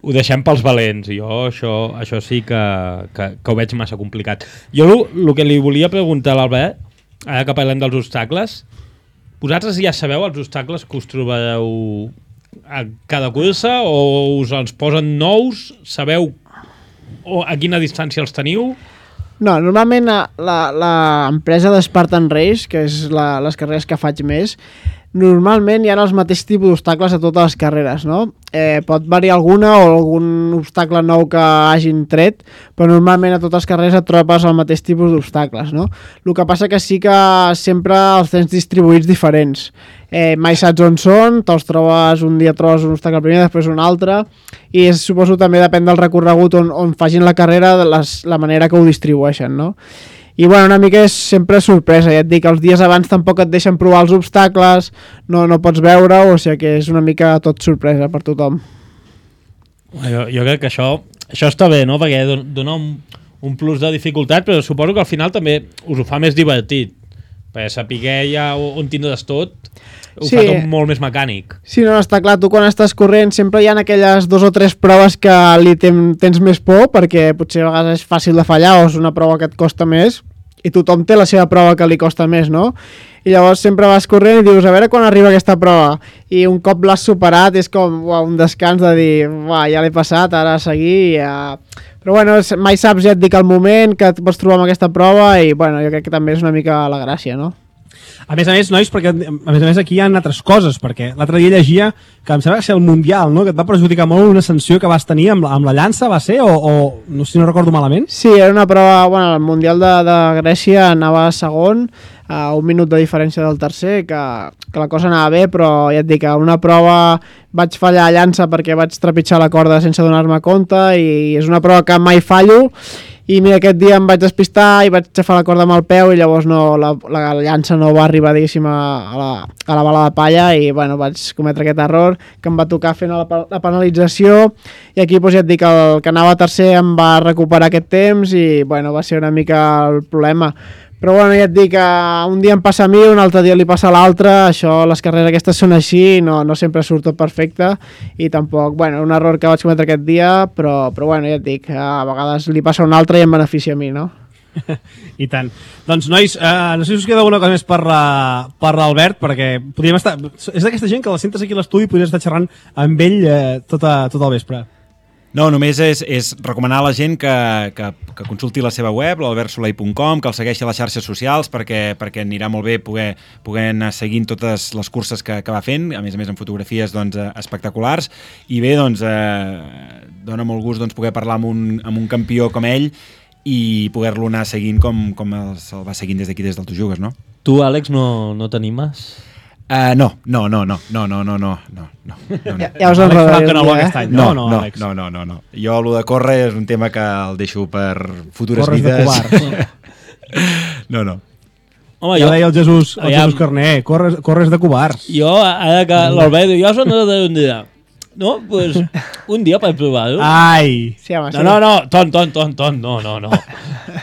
ho deixem pels valents, i jo això sí que ho veig massa complicat. Jo el que li volia preguntar a l'Albert, ara que parlem dels obstacles, vosaltres ja sabeu els obstacles que us trobareu a cada cursa, o us els posen nous? Sabeu a quina distància els teniu? No, normalment l'empresa de Spartan Race, que és les carreres que faig més, normalment hi ha els mateixos tipus d'obstacles a totes les carreres, no? Pot variar alguna o algun obstacle nou que hagin tret, però normalment a totes les carreres et trobes el mateix tipus d'obstacles, no? El que passa que sí que sempre els tens distribuïts diferents. Mai saps on són, te'ls trobes, un dia trobes un obstacle primer, després un altre, i suposo també depèn del recorregut on facin la carrera, la manera que ho distribueixen, no? I bueno, una mica és sempre sorpresa, ja et dic, els dies abans tampoc et deixen provar els obstacles, no pots veure, o sigui que és una mica tot sorpresa per tothom. Jo crec que això està bé, no? Perquè dona un plus de dificultat, però suposo que al final també us ho fa més divertit, perquè saber ja on tindràs tot ho fa tot molt més mecànic. Sí, no, està clar, tu quan estàs corrent sempre hi ha aquelles 2 o 3 proves que li tens més por, perquè potser a vegades és fàcil de fallar o és una prova que et costa més, i tothom té la seva prova que li costa més, no? I llavors sempre vas corrent i dius, a veure quan arriba aquesta prova, i un cop l'has superat és com un descans de dir, ja l'he passat, ara a seguir, però bueno, mai saps, ja et dic, el moment que et pots trobar amb aquesta prova, i bueno, jo crec que també és una mica la gràcia, no? A més, nois, perquè a més aquí hi ha altres coses, perquè l'altre dia llegia que em sembla que ser el Mundial, no? Que et va perjudicar molt una sanció que vas tenir amb la llança, va ser? O no sé si no recordo malament? Sí, era una prova, bueno, el Mundial de Grècia anava segon, a un minut de diferència del tercer, que la cosa anava bé, però ja et dic, a una prova vaig fallar a llança perquè vaig trepitjar la corda sense donar-me compte, i és una prova que mai fallo, i mira, aquest dia em vaig despistar i vaig xafar la corda amb el peu i llavors la llança no va arribar, diguéssim, a la bala de palla, i bueno, vaig cometre aquest error que em va tocar fent la penalització, i aquí doncs, ja et dic, el que anava tercer em va recuperar aquest temps i bueno, va ser una mica el problema. Però bueno, ja et dic, un dia em passa a mi, un altre dia li passa a l'altre, això, les carreres aquestes són així, no sempre surt tot perfecte, i tampoc, bueno, un error que vaig cometre aquest dia, però bueno, ja et dic, a vegades li passa a un altre i em beneficia a mi, no? I tant. Doncs, nois, no sé si us queda alguna cosa més per l'Albert, perquè podríem estar... És d'aquesta gent que la sentes aquí a l'estudi i podries estar xerrant amb ell tot el vespre. No, només és recomanar a la gent que consulti la seva web, l'albertsolei.com, que el segueixi a les xarxes socials perquè anirà molt bé poder anar seguint totes les curses que va fent, a més amb fotografies doncs, espectaculars, i bé, doncs, dona molt gust doncs, poder parlar amb un campió com ell i poder-lo anar seguint com se'l va seguint des d'aquí, des del Tu Jugues, no? Tu, Àlex, no t'animes? No. Ja us enredaré. No. Jo, el de córrer és un tema que el deixo per futures corres vides. No. Home, ja deia el Jesús Carné, corres de covards. Jo, ara que l'Albert diu, jo soc un dia. No, pues un dia per provar-ho. Ai! Sí, home, sí. No, ton, no.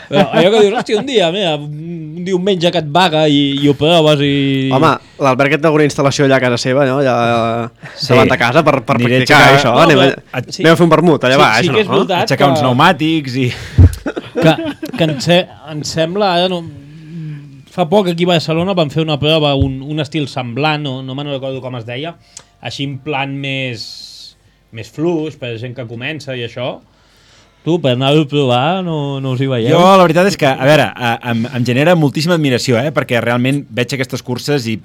Però allò que dius, hòstia, un dia, mira, un diumenge que et vaga i ho proves i... Home, l'Albert que té alguna instal·lació allà a casa seva, no? Allà davant de casa per practicar això. Anem a fer un vermut allà baix, sí que és veritat, aixecar uns pneumàtics i... Que em sembla, ara no... Fa poc aquí a Barcelona van fer una prova, un estil semblant, no me'n recordo com es deia, així en plan més fluix, per gent que comença i això. Tu, per anar-ho a provar, no us hi veieu? Jo, la veritat és que, a veure, em genera moltíssima admiració, perquè realment veig aquestes curses i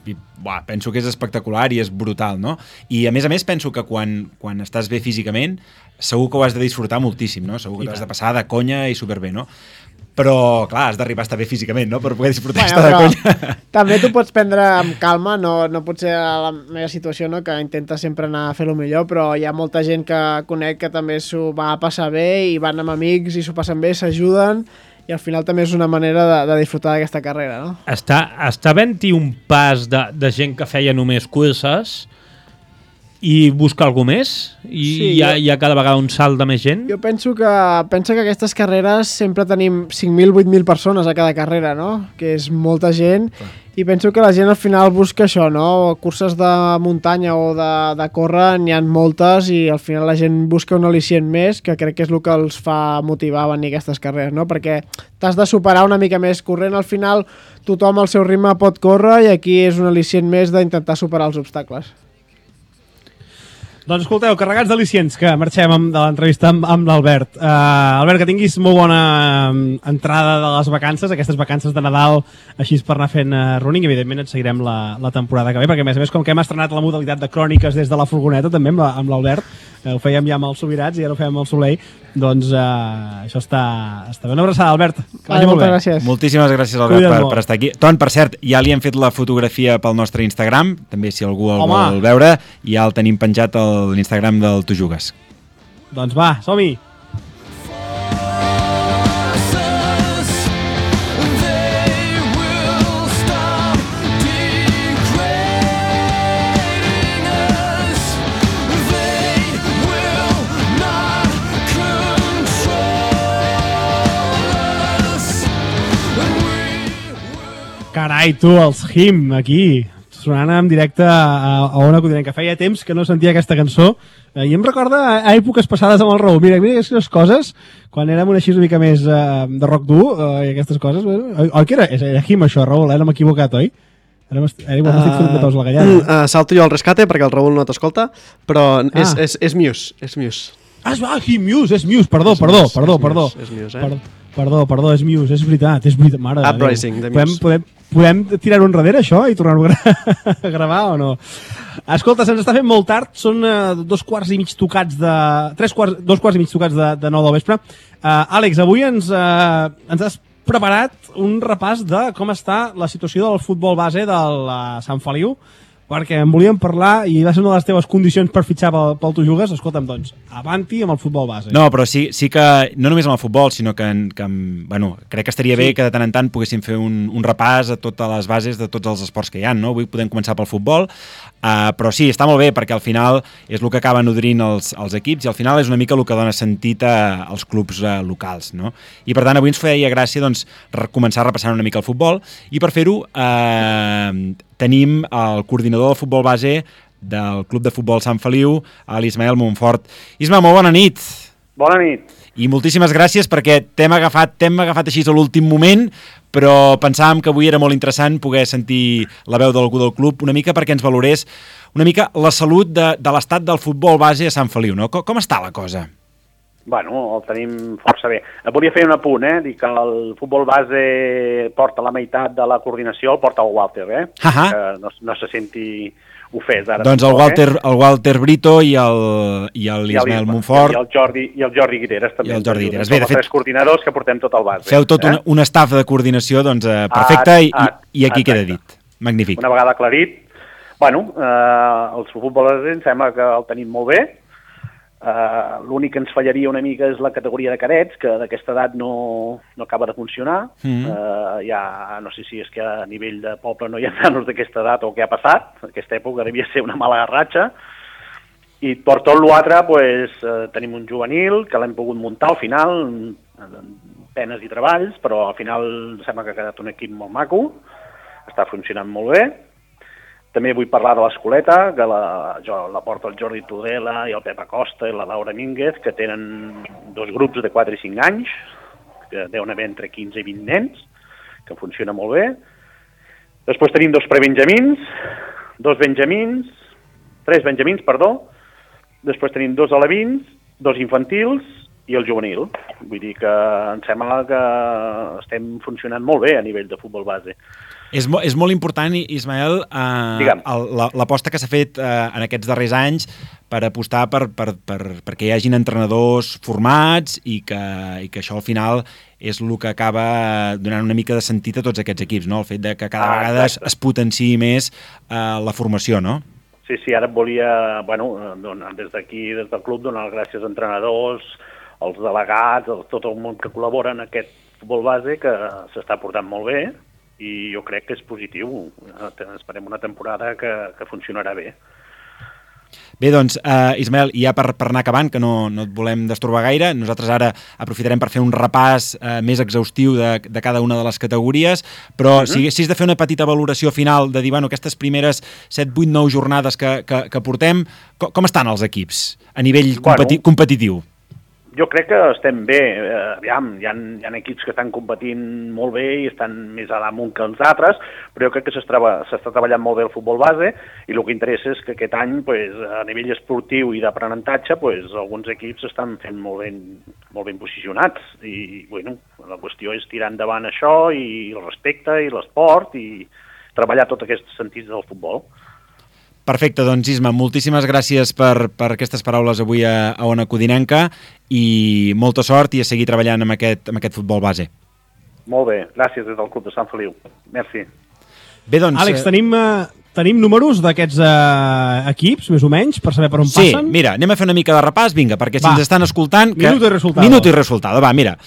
penso que és espectacular i és brutal, no? I a més penso que quan estàs bé físicament, segur que ho has de disfrutar moltíssim, no? Segur que t'has de passar de conya i superbé, no? Però, clar, has d'arribar a estar bé físicament, no?, per poder disfrutar estar de conya. També t'ho pots prendre amb calma, no pot ser la meva situació, no?, que intenta sempre anar a fer el millor, però hi ha molta gent que conec que també s'ho va a passar bé i van amb amics i s'ho passen bé, s'ajuden, i al final també és una manera de disfrutar d'aquesta carrera, no? Està havent-hi un pas de gent que feia només curses i busca algú més? I sí, hi ha cada vegada un salt de més gent? Jo penso que aquestes carreres sempre tenim 5.000, 8.000 persones a cada carrera, no? Que és molta gent. Clar. I penso que la gent al final busca això, no? Curses de muntanya o de córrer n'hi ha moltes i al final la gent busca un al·licient més, que crec que és el que els fa motivar a venir a aquestes carreres, no? Perquè t'has de superar una mica més corrent. Al final tothom al seu ritme pot córrer i aquí és un al·licient més d'intentar superar els obstacles. Doncs escolteu, carregats d'al·licients, que marxem de l'entrevista amb l'Albert. Albert, que tinguis molt bona entrada de les vacances, aquestes vacances de Nadal, així per anar fent running. Evidentment et seguirem la temporada que ve, perquè a més, com que hem estrenat la modalitat de cròniques des de la furgoneta, també amb l'Albert, ho fèiem ja amb els Subirats i ara ho fem amb el Soleil, doncs això està bé. Una abraçada, Albert, que vagi molt bé. Gràcies. Moltíssimes gràcies, Albert, per estar aquí. Ton, per cert, ja li hem fet la fotografia pel nostre Instagram, també si algú el vol veure, ja el tenim penjat a l'Instagram del Tu Jugues. Doncs va, som-hi! Carai, tu, els Him, aquí, sonant en directe a Ona Codinenca, que feia temps que no sentia aquesta cançó, i em recorda a èpoques passades amb el Raül. Mira aquestes coses, quan érem una així una mica més de rock dur, i aquestes coses, oi que era Him això, Raül, no m'he equivocat, oi? Ara m'estic fent de peus a la gallada. Salto jo al rescate perquè el Raül no t'escolta, però és Muse, és Muse. Muse, és Muse, perdó. És Muse, Perdó, és Muse, és veritat, mare. Uprising, de Muse. podem tirar-ho enrere, això, i tornar-ho a gravar o no? Escolta, se'ns està fent molt tard, són 2 quarts i mig tocats de... 2 quarts i mig tocats de 9 del vespre. Àlex, avui ens has preparat un repàs de com està la situació del futbol base del Sant Feliu, perquè en volíem parlar i va ser una de les teves condicions per fitxar pel Tu Jugues. Escolta'm, doncs, avanti amb el futbol base. No, però sí que, no només amb el futbol, sinó que bueno, crec que estaria bé que de tant en tant poguéssim fer un repàs a totes les bases de tots els esports que hi ha, no? Avui podem començar pel futbol, però sí, està molt bé, perquè al final és el que acaba nodrint els equips i al final és una mica el que dona sentit als clubs locals, no? I per tant avui ens feia gràcia doncs, començar repassant una mica el futbol i per fer-ho tenim el coordinador del futbol base del Club de Futbol Sant Feliu, l'Ismael Montfort. Isma, molt bona nit. Bona nit. I moltíssimes gràcies perquè t'hem agafat així a l'últim moment, però pensàvem que avui era molt interessant poder sentir la veu d'algú del club una mica perquè ens valorés una mica la salut de l'estat del futbol base a Sant Feliu, no? Com està la cosa? Bueno, el tenim força bé. Volia fer un apunt, dir que el futbol base porta la meitat de la coordinació, el porta el Walter, que no se senti ofès ara. Doncs el Walter Brito i l'Ismael Montfort. I el Jordi Guiteres també. I el Jordi Guiteres. Som els 3 coordinadors que portem tot el base. Feu tot un staff de coordinació doncs, perfecte i aquí queda dit. Magnífic. Una vegada aclarit, bueno, el futbol base em sembla que el tenim molt bé. L'únic que ens fallaria una mica és la categoria de cadets, que d'aquesta edat no acaba de funcionar. Ja no sé si és que a nivell de poble no hi ha nanos d'aquesta edat o què ha passat. Aquesta època devia ser una mala ratxa. I per tot l'altre tenim un juvenil que l'hem pogut muntar al final, penes i treballs, però al final sembla que ha quedat un equip molt maco, està funcionant molt bé. També vull parlar de l'Escoleta, que la porta el Jordi Tudela i el Pep Acosta i la Laura Mínguez, que tenen 2 grups de 4 i 5 anys, que deuen haver entre 15 i 20 nens, que funciona molt bé. Després tenim 2 prebenjamins, 3 benjamins, després tenim 2 alevins, 2 infantils i el juvenil. Vull dir que em sembla que estem funcionant molt bé a nivell de futbol base. És molt important, Ismael, l'aposta que s'ha fet en aquests darrers anys per apostar perquè hi hagin entrenadors formats i que això al final és el que acaba donant una mica de sentit a tots aquests equips, no? El fet de que cada vegada es potenciï més la formació, no? Sí, ara et volia, des d'aquí, des del club, donar les gràcies als entrenadors, als delegats, a tot el món que col·labora en aquest futbol base, que s'està portant molt bé, i jo crec que és positiu. Esperem una temporada que funcionarà bé. Bé, doncs, Ismael, ja per anar acabant, que no et volem destorbar gaire, nosaltres ara aprofitarem per fer un repàs més exhaustiu de cada una de les categories, però si haguessis de fer una petita valoració final de dir, aquestes primeres 7, 8, 9 jornades que portem, com estan els equips a nivell competitiu? Jo crec que estem bé. Aviam, hi ha equips que estan competint molt bé i estan més a damunt que els altres, però jo crec que s'està treballant molt bé el futbol base i el que interessa és que aquest any, a nivell esportiu i d'aprenentatge, alguns equips estan fent molt ben posicionats. I la qüestió és tirar endavant això i el respecte i l'esport i treballar tots aquests sentits del futbol. Perfecte, doncs Isma, moltíssimes gràcies per aquestes paraules avui a Ona Codinenca i molta sort i a seguir treballant amb aquest futbol base. Molt bé, gràcies des del Club de Sant Feliu. Merci. Bé, doncs... Àlex, tenim números d'aquests equips, més o menys, per saber per on passen? Sí, mira, anem a fer una mica de repàs, vinga, perquè si ens estan escoltant... Minuto i resultado. Va, mira.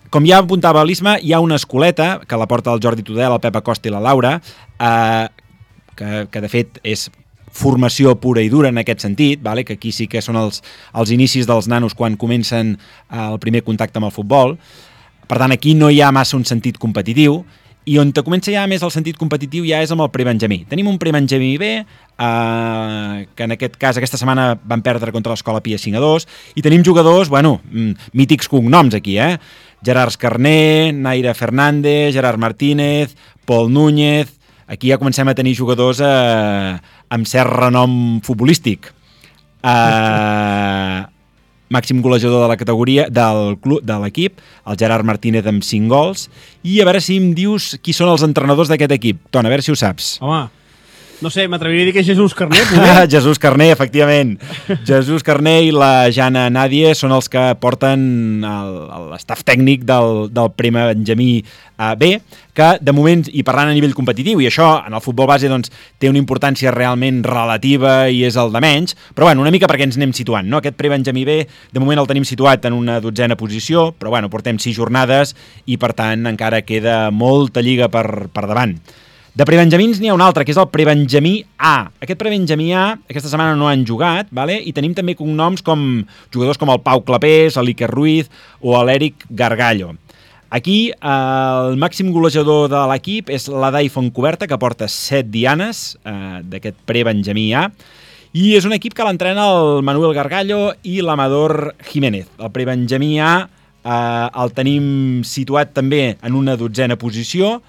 Com ja apuntava l'Isma, hi ha una escoleta que la porta el Jordi Tudela, el Pep Acosta i la Laura, que de fet és formació pura i dura en aquest sentit, que aquí sí que són els inicis dels nanos quan comencen el primer contacte amb el futbol. Per tant, aquí no hi ha massa un sentit competitiu, i on comença ja més el sentit competitiu ja és amb el prebenjamí. Tenim un prebenjamí B, que en aquest cas aquesta setmana van perdre contra l'Escola Pia 5-2, i tenim jugadors, mítics cognoms aquí, Gerard Carné, Naira Fernández, Gerard Martínez, Pol Núñez... Aquí ja comencem a tenir jugadors amb cert renom futbolístic. màxim golejador de la categoria del club, de l'equip, el Gerard Martínez amb 5 gols, i a veure si em dius qui són els entrenadors d'aquest equip. Ton, a veure si ho saps. Home, no sé, m'atreviria a dir que és Jesús Carné. Jesús Carné, efectivament. Jesús Carné i la Jana Nadie són els que porten l'estaf tècnic del primer Benjamí B, que de moment, i parlant a nivell competitiu, i això en el futbol base doncs, té una importància realment relativa i és el de menys, però bueno, una mica perquè ens anem situant, no? Aquest pre-Benjamí B, de moment el tenim situat en una 12a posició, però bueno, portem 6 jornades i per tant encara queda molta lliga per davant. De prebenjamins n'hi ha un altre, que és el prebenjamí A. Aquest prebenjamí A aquesta setmana no han jugat, vale? I tenim també cognoms com jugadors com el Pau Clapés, l'Iker Ruiz o l'Eric Gargallo. Aquí el màxim golejador de l'equip és l'Adai Fontcoberta, que porta 7 dianes d'aquest prebenjamí A, i és un equip que l'entrena el Manuel Gargallo i l'Amador Jiménez. El prebenjamí A el tenim situat també en una 12a posició,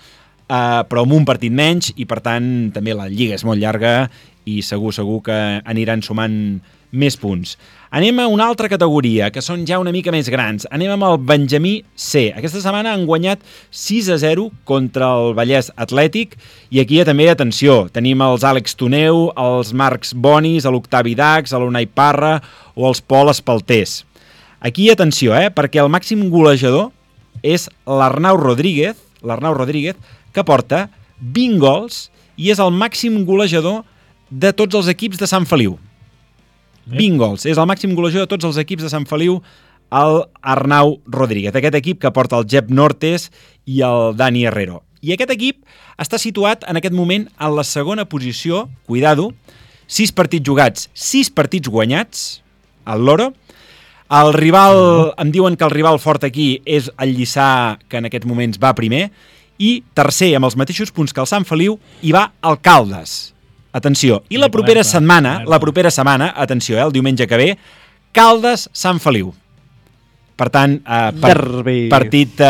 però amb un partit menys i per tant també la lliga és molt llarga i segur que aniran sumant més punts. Anem a una altra categoria, que són ja una mica més grans. Anem amb el Benjamí C. Aquesta setmana han guanyat 6-0 contra el Vallès Atlètic i aquí també, atenció, tenim els Àlex Toneu, els Marcs Bonis, l'Octavi Dax, l'Unai Parra o els Pol Espaltés. Aquí, atenció, perquè el màxim golejador és l'Arnau Rodríguez, que porta 20 gols i és el màxim golejador de tots els equips de Sant Feliu. 20 gols. És el màxim golejador de tots els equips de Sant Feliu, el Arnau Rodríguez. Aquest equip que porta el Jep Nortes i el Dani Herrero. I aquest equip està situat en aquest moment en la segona posició, cuidado, 6 partits jugats, 6 partits guanyats, el Loro. El rival, em diuen que el rival fort aquí és el Lliçà, que en aquests moments va primer, i tercer, amb els mateixos punts que el Sant Feliu, hi va el Caldes. Atenció. I la propera setmana, atenció, el diumenge que ve, Caldes-Sant Feliu. Per tant, partit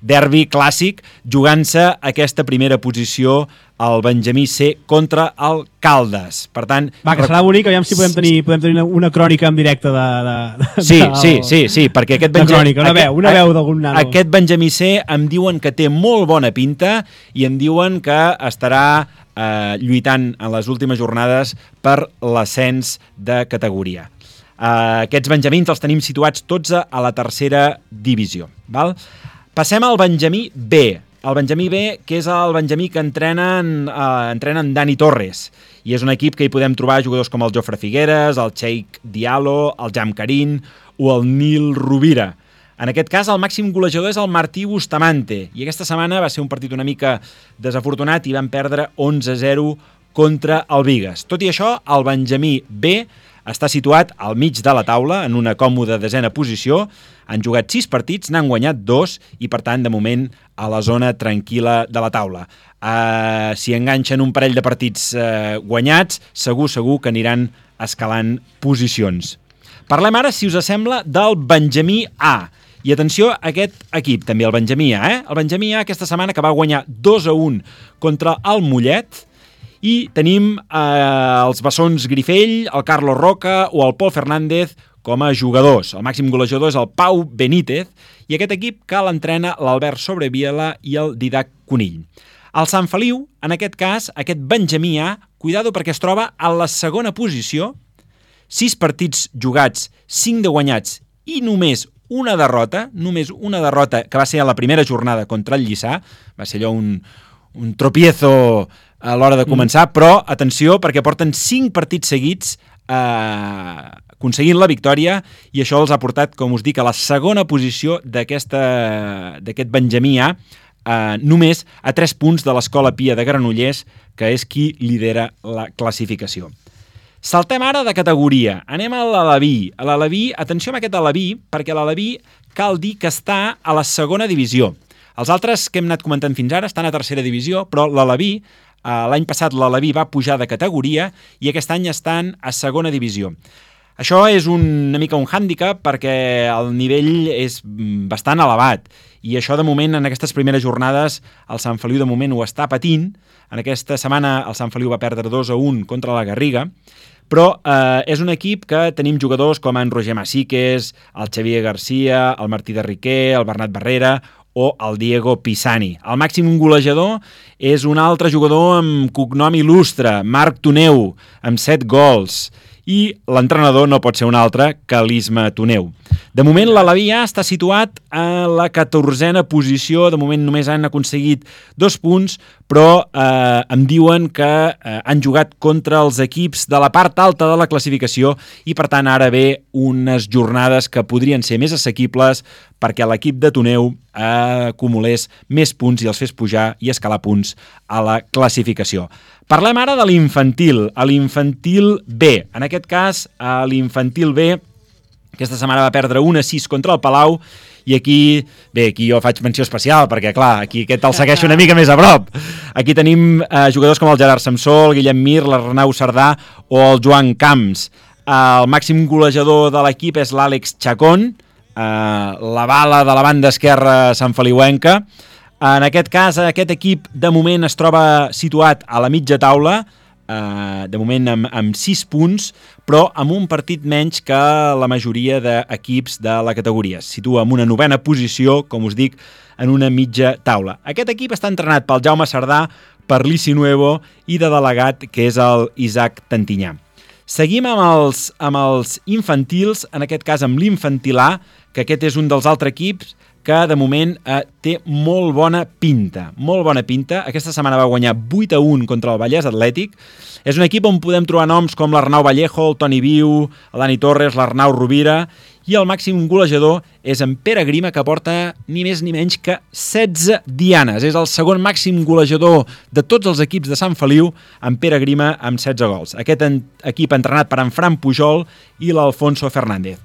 derbi clàssic, jugant-se aquesta primera posició el Benjamí C contra el Caldes. Per tant, que serà bonic, aviam si podem tenir una crònica en directe Sí, perquè aquest Benjamí... Una veu d'algun nano. Aquest Benjamí C em diuen que té molt bona pinta i em diuen que estarà lluitant en les últimes jornades per l'ascens de categoria. Aquests benjamins els tenim situats tots a la tercera divisió. Val? Passem al Benjamí B. El Benjamí B, que és el Benjamí que entrenen Dani Torres. I és un equip que hi podem trobar jugadors com el Jofre Figueres, el Cheikh Diallo, el Jam Karim o el Nil Rovira. En aquest cas, el màxim golejador és el Martí Bustamante. I aquesta setmana va ser un partit una mica desafortunat i van perdre 11-0 contra el Bigues. Tot i això, el Benjamí B està situat al mig de la taula, en una còmoda 10a posició. Han jugat 6 partits, n'han guanyat 2 i, per tant, de moment, a la zona tranquil·la de la taula. Si enganxen un parell de partits guanyats, segur que aniran escalant posicions. Parlem ara, si us sembla, del Benjamí A. I atenció a aquest equip, també, el Benjamí A. El Benjamí A aquesta setmana que va guanyar 2-1 contra el Mollet. I tenim els bessons Grifell, el Carlos Roca o el Pol Fernández com a jugadors. El màxim golejador és el Pau Benítez i aquest equip que l'entrena l'Albert Sobreviela i el Didac Conill. El Sant Feliu, en aquest cas, aquest Benjamí A, cuidado perquè es troba a la segona posició, 6 partits jugats, 5 de guanyats i només una derrota que va ser a la primera jornada contra el Lliçà, va ser allò un tropiezo a l'hora de començar, però atenció perquè porten 5 partits seguits aconseguint la victòria i això els ha portat, com us dic, a la segona posició d'aquest Benjamí A, només a 3 punts de l'Escola Pia de Granollers, que és qui lidera la classificació. Saltem ara de categoria. Anem a l'Aleví. A l'Aleví, atenció amb aquest Aleví, perquè l'Aleví cal dir que està a la segona divisió. Els altres que hem anat comentant fins ara estan a tercera divisió, però l'Aleví, l'any passat l'Aleví va pujar de categoria i aquest any estan a segona divisió. Això és una mica un hàndicap perquè el nivell és bastant elevat i això de moment en aquestes primeres jornades el Sant Feliu de moment ho està patint. En aquesta setmana el Sant Feliu va perdre 2-1 contra la Garriga, però és un equip que tenim jugadors com en Roger Masiques, el Xavier Garcia, el Martí de Riquer, el Bernat Barrera o el Diego Pisani. El màxim golejador és un altre jugador amb cognom il·lustre, Marc Toneu, amb 7 gols. I l'entrenador no pot ser un altre que l'Isma Toneu. De moment, l'Alaví A està situat a la 14a posició. De moment només han aconseguit 2 punts, però em diuen que han jugat contra els equips de la part alta de la classificació i, per tant, ara ve unes jornades que podrien ser més assequibles perquè l'equip de Toneu acumulés més punts i els fes pujar i escalar punts a la classificació. Parlem ara de l'infantil, a l'infantil B. En aquest cas, a l'infantil B, aquesta setmana va perdre 1-6 contra el Palau i aquí jo faig menció especial perquè, clar, aquí aquest el segueixo una mica més a prop. Aquí tenim jugadors com el Gerard Samsó, el Guillem Mir, l'Arnau Cerdà o el Joan Camps. El màxim golejador de l'equip és l'Àlex Chacón, la bala de la banda esquerra santfeliuenca. En aquest cas, aquest equip de moment es troba situat a la mitja taula, de moment amb 6 punts, però amb un partit menys que la majoria d'equips de la categoria. Es situa en una 9a posició, com us dic, en una mitja taula. Aquest equip està entrenat pel Jaume Cerdà, per l'Ici Nuevo i de delegat, que és el Isaac Tantinyà. Seguim amb els infantils, en aquest cas amb l'Infantil A, que aquest és un dels altres equips que de moment té molt bona pinta. Molt bona pinta. Aquesta setmana va guanyar 8-1 contra el Vallès Atlètic. És un equip on podem trobar noms com l'Arnau Vallejo, el Toni Viu, el Dani Torres, l'Arnau Rovira, i el màxim golejador és en Pere Grima, que porta ni més ni menys que 16 dianes. És el segon màxim golejador de tots els equips de Sant Feliu, en Pere Grima amb 16 gols. Aquest equip entrenat per en Fran Pujol i l'Alfonso Fernández.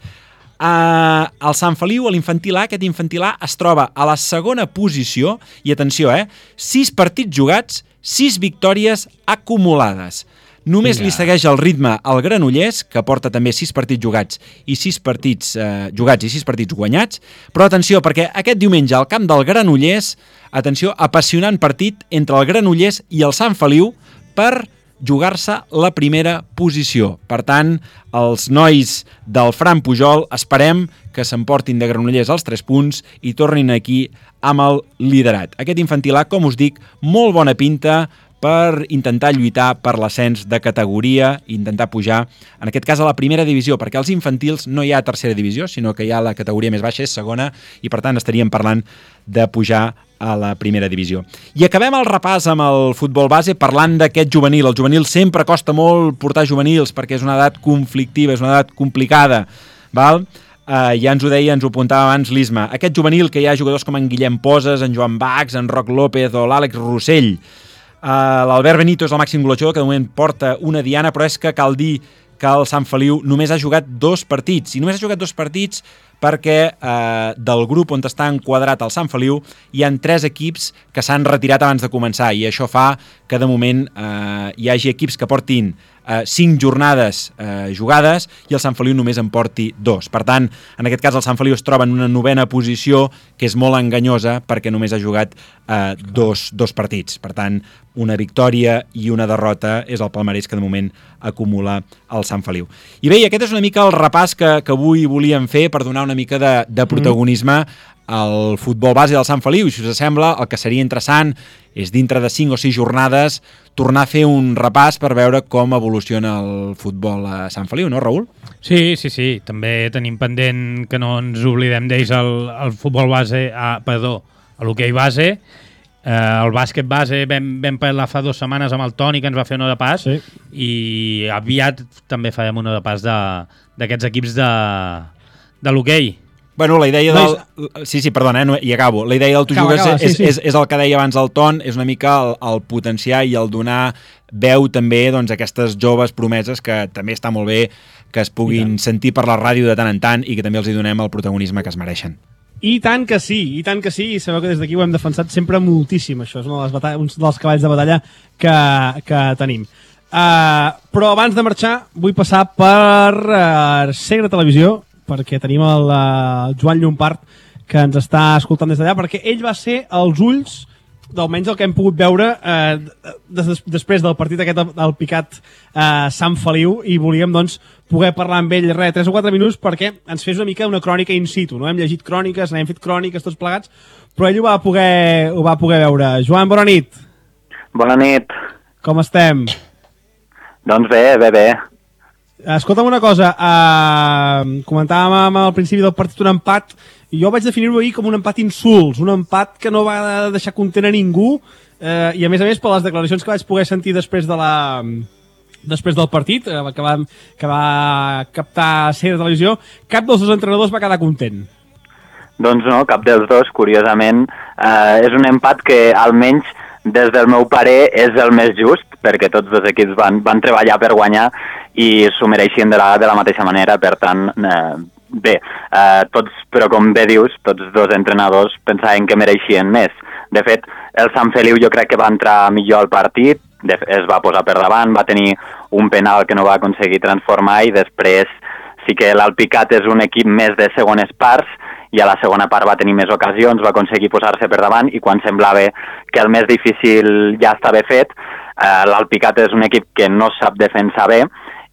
Al Sant Feliu, a l'infantil A, aquest infantil A es troba a la segona posició i, atenció, 6 partits jugats, 6 victòries acumulades. Només li segueix el ritme al Granollers, que porta també 6 partits jugats i 6 partits jugats i 6 partits guanyats, però atenció, perquè aquest diumenge al camp del Granollers, atenció, apassionant partit entre el Granollers i el Sant Feliu per jugar-se la primera posició. Per tant, els nois del Fran Pujol esperem que s'emportin de Granollers els 3 punts i tornin aquí amb el liderat. Aquest infantil A, com us dic, molt bona pinta per intentar lluitar per l'ascens de categoria i intentar pujar, en aquest cas, a la primera divisió, perquè als infantils no hi ha tercera divisió, sinó que hi ha la categoria més baixa, és segona, i per tant estaríem parlant de pujar a la primera divisió. I acabem el repàs amb el futbol base parlant d'aquest juvenil. El juvenil sempre costa molt portar juvenils perquè és una edat conflictiva, és una edat complicada, val? Ja ens ho deia, ens ho apuntava abans l'Isma. Aquest juvenil que hi ha jugadors com en Guillem Poses, en Joan Bax, en Roc López o l'Àlex Rossell. L'Albert Benito és el màxim golejador, que de moment porta una diana, però és que cal dir que el Sant Feliu només ha jugat 2 partits. I només ha jugat 2 partits perquè del grup on està enquadrat el Sant Feliu hi han 3 equips que s'han retirat abans de començar i això fa que de moment hi hagi equips que portin 5 jornades jugades i el Sant Feliu només en porti 2. Per tant, en aquest cas el Sant Feliu es troba en una 9a posició que és molt enganyosa perquè només ha jugat 2 partits. Per tant, una victòria i una derrota és el palmarès que de moment acumula el Sant Feliu. I bé, aquest és una mica el repàs que avui volíem fer per donar una mica de protagonisme al futbol base del Sant Feliu. I si us sembla, el que seria interessant és dintre de 5 o 6 jornades tornar a fer un repàs per veure com evoluciona el futbol a Sant Feliu, no, Raül? Sí. També tenim pendent que no ens oblidem d'ells el futbol base, a l'hoquei base. El bàsquet base vam parlar fa 2 setmanes amb el Toni, que ens va fer una de pas, i aviat també farem una de pas d'aquests equips de l'hoquei. Bueno, la idea del... Sí, perdona, i acabo. La idea del Tu Jugues és el que deia abans el Ton, és una mica el potenciar i el donar veu també a aquestes joves promeses que també està molt bé que es puguin sentir per la ràdio de tant en tant i que també els hi donem el protagonisme que es mereixen. I tant que sí, i sabeu que des d'aquí ho hem defensat sempre moltíssim, això és un dels cavalls de batalla que tenim. Però abans de marxar vull passar per Segre Televisió, perquè tenim el Joan Llompart que ens està escoltant des d'allà, perquè ell va ser els ulls d'almenys el que hem pogut veure després del partit aquest del Picat Sant Feliu, i volíem doncs poder parlar amb ell 3 o 4 minuts perquè ens fes una mica una crònica in situ, no? Hem llegit cròniques, n'hem fet cròniques tots plegats, però ell ho va poder veure. Joan, bona nit. Bona nit. Com estem? Doncs bé. Escolta'm una cosa, comentàvem al principi del partit un empat, i jo vaig definir-ho ahir com un empat insults, un empat que no va deixar content a ningú, i a més, per les declaracions que vaig poder sentir després del partit, que va captar Ser de Televisió, cap dels dos entrenadors va quedar content. Doncs no, cap dels dos, curiosament. És un empat que almenys des del meu parer és el més just, perquè tots dos equips van treballar per guanyar i s'ho mereixien de la mateixa manera, per tant, bé, però com bé dius, tots dos entrenadors pensaven que mereixien més. De fet, el Sant Feliu jo crec que va entrar millor al partit, es va posar per davant, va tenir un penal que no va aconseguir transformar, i després sí que l'Alpicat és un equip més de segones parts, i a la segona part va tenir més ocasions, va aconseguir posar-se per davant, i quan semblava que el més difícil ja estava fet, l'Alpicat és un equip que no sap defensar bé,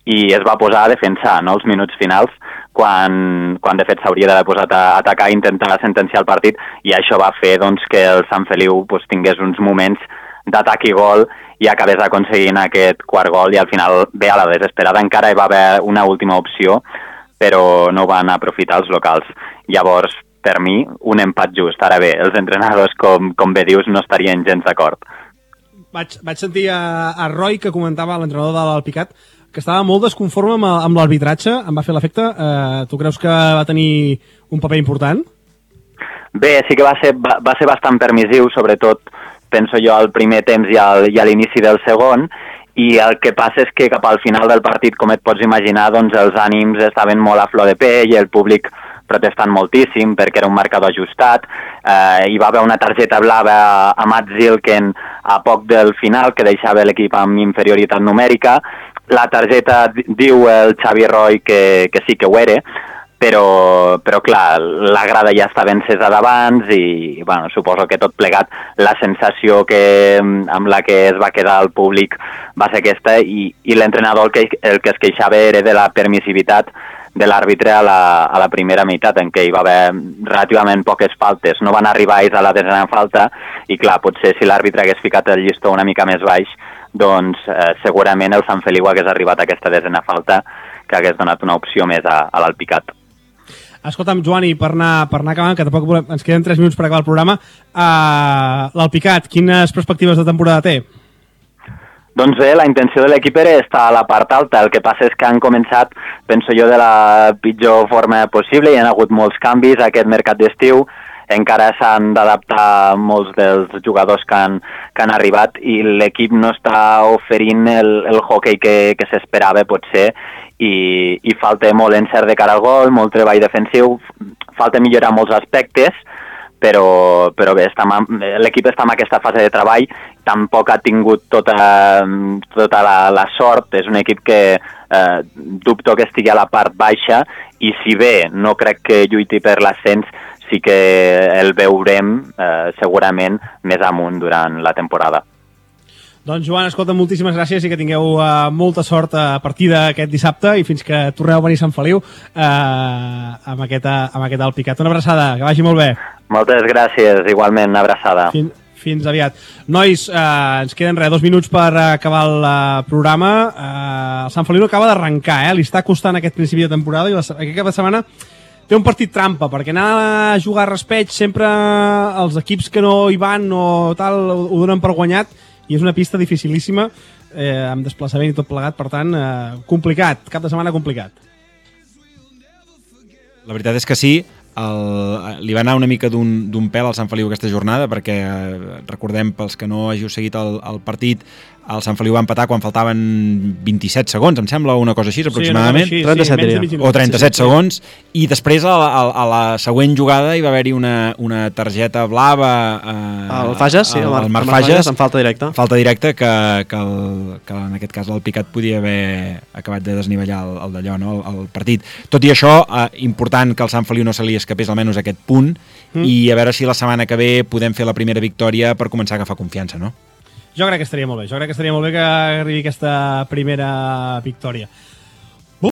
i es va posar a defensar, no?, els minuts finals, quan de fet s'hauria d'haver posat a atacar i intentar sentenciar el partit, i això va fer doncs, que el Sant Feliu tingués uns moments d'atac i gol i acabés aconseguint aquest quart gol, i al final, bé, a la desesperada encara hi va haver una última opció, però no van aprofitar els locals. Llavors, per mi, un empat just. Ara bé, els entrenadors, com bé dius, no estarien gens d'acord. Vaig sentir a Roy, que comentava, l'entrenador de l'Alpicat, que estava molt desconforme amb l'arbitratge, em va fer l'efecte. Tu creus que va tenir un paper important? Bé, sí que va ser bastant permissiu, sobretot, penso jo, al primer temps i a l'inici del segon, i el que passa és que cap al final del partit, com et pots imaginar, doncs els ànims estaven molt a flor de pell, i el públic protestant moltíssim perquè era un marcador ajustat. Hi va haver una targeta blava a Matt Zilken a poc del final, que deixava l'equip amb inferioritat numèrica. La targeta diu el Xavi Roy que sí que ho era, però clar, la grada ja estava encesa d'abans, i bueno, suposo que tot plegat la sensació amb la que es va quedar el públic va ser aquesta, i l'entrenador el que es queixava era de la permissivitat de l'àrbitre a la primera meitat, en què hi va haver relativament poques faltes. No van arribar ells a la desena falta, i clar, potser si l'àrbitre hagués ficat el llistó una mica més baix, doncs segurament el Sant Feliu hagués arribat a aquesta desena falta, que hagués donat una opció més a l'Alpicat. Escolta'm, Joan, i per anar acabant, que tampoc ens queden 3 minuts per acabar el programa, l'Alpicat, quines perspectives de temporada té? Doncs bé, la intenció de l'equip era estar a la part alta. El que passa és que han començat, penso jo, de la pitjor forma possible. Hi ha hagut molts canvis aquest mercat d'estiu. Encara s'han d'adaptar molts dels jugadors que han arribat, i l'equip no està oferint el hoquei que s'esperava, potser, i falta molt encert de cara al gol, molt treball defensiu, falta millorar molts aspectes, però bé, l'equip està en aquesta fase de treball. Tampoc ha tingut tota la sort. És un equip que dubto que estigui a la part baixa, i si bé no crec que lluiti per l'ascens, sí que el veurem segurament més amunt durant la temporada. Doncs Joan, escolta, moltíssimes gràcies, i que tingueu molta sort a partir d'aquest dissabte, i fins que torneu a venir a Sant Feliu amb aquest Alpicat. Una abraçada, que vagi molt bé. Moltes gràcies, igualment, una abraçada. Fins aviat. Nois, ens queden 2 minuts per acabar el programa. El Sant Feliu acaba d'arrencar, li està costant aquest principi de temporada, i aquest cap de setmana té un partit trampa, perquè anar a jugar a raspeig sempre els equips que no hi van o tal ho donen per guanyat, i és una pista dificilíssima, amb desplaçament i tot plegat, per tant, complicat, cap de setmana complicat. La veritat és que sí, li va anar una mica d'un pèl al Sant Feliu aquesta jornada, perquè recordem, pels que no hàgiu seguit el partit, el Sant Feliu va empatar quan faltaven 27 segons, em sembla, o una cosa així, aproximadament. Sí, 37 diria. O 37 segons, i després a la següent jugada hi va haver-hi una targeta blava el Fages, sí, el Marc Fages, en falta directa. Falta directa que en aquest cas el Picat podia haver acabat de desnivellar el d'allò, no? el partit. Tot i això, important que el Sant Feliu no se li escapés almenys aquest punt, i a veure si la setmana que ve podem fer la primera victòria per començar a agafar confiança, no? Jo crec que estaria molt bé, que arribi aquesta primera victòria.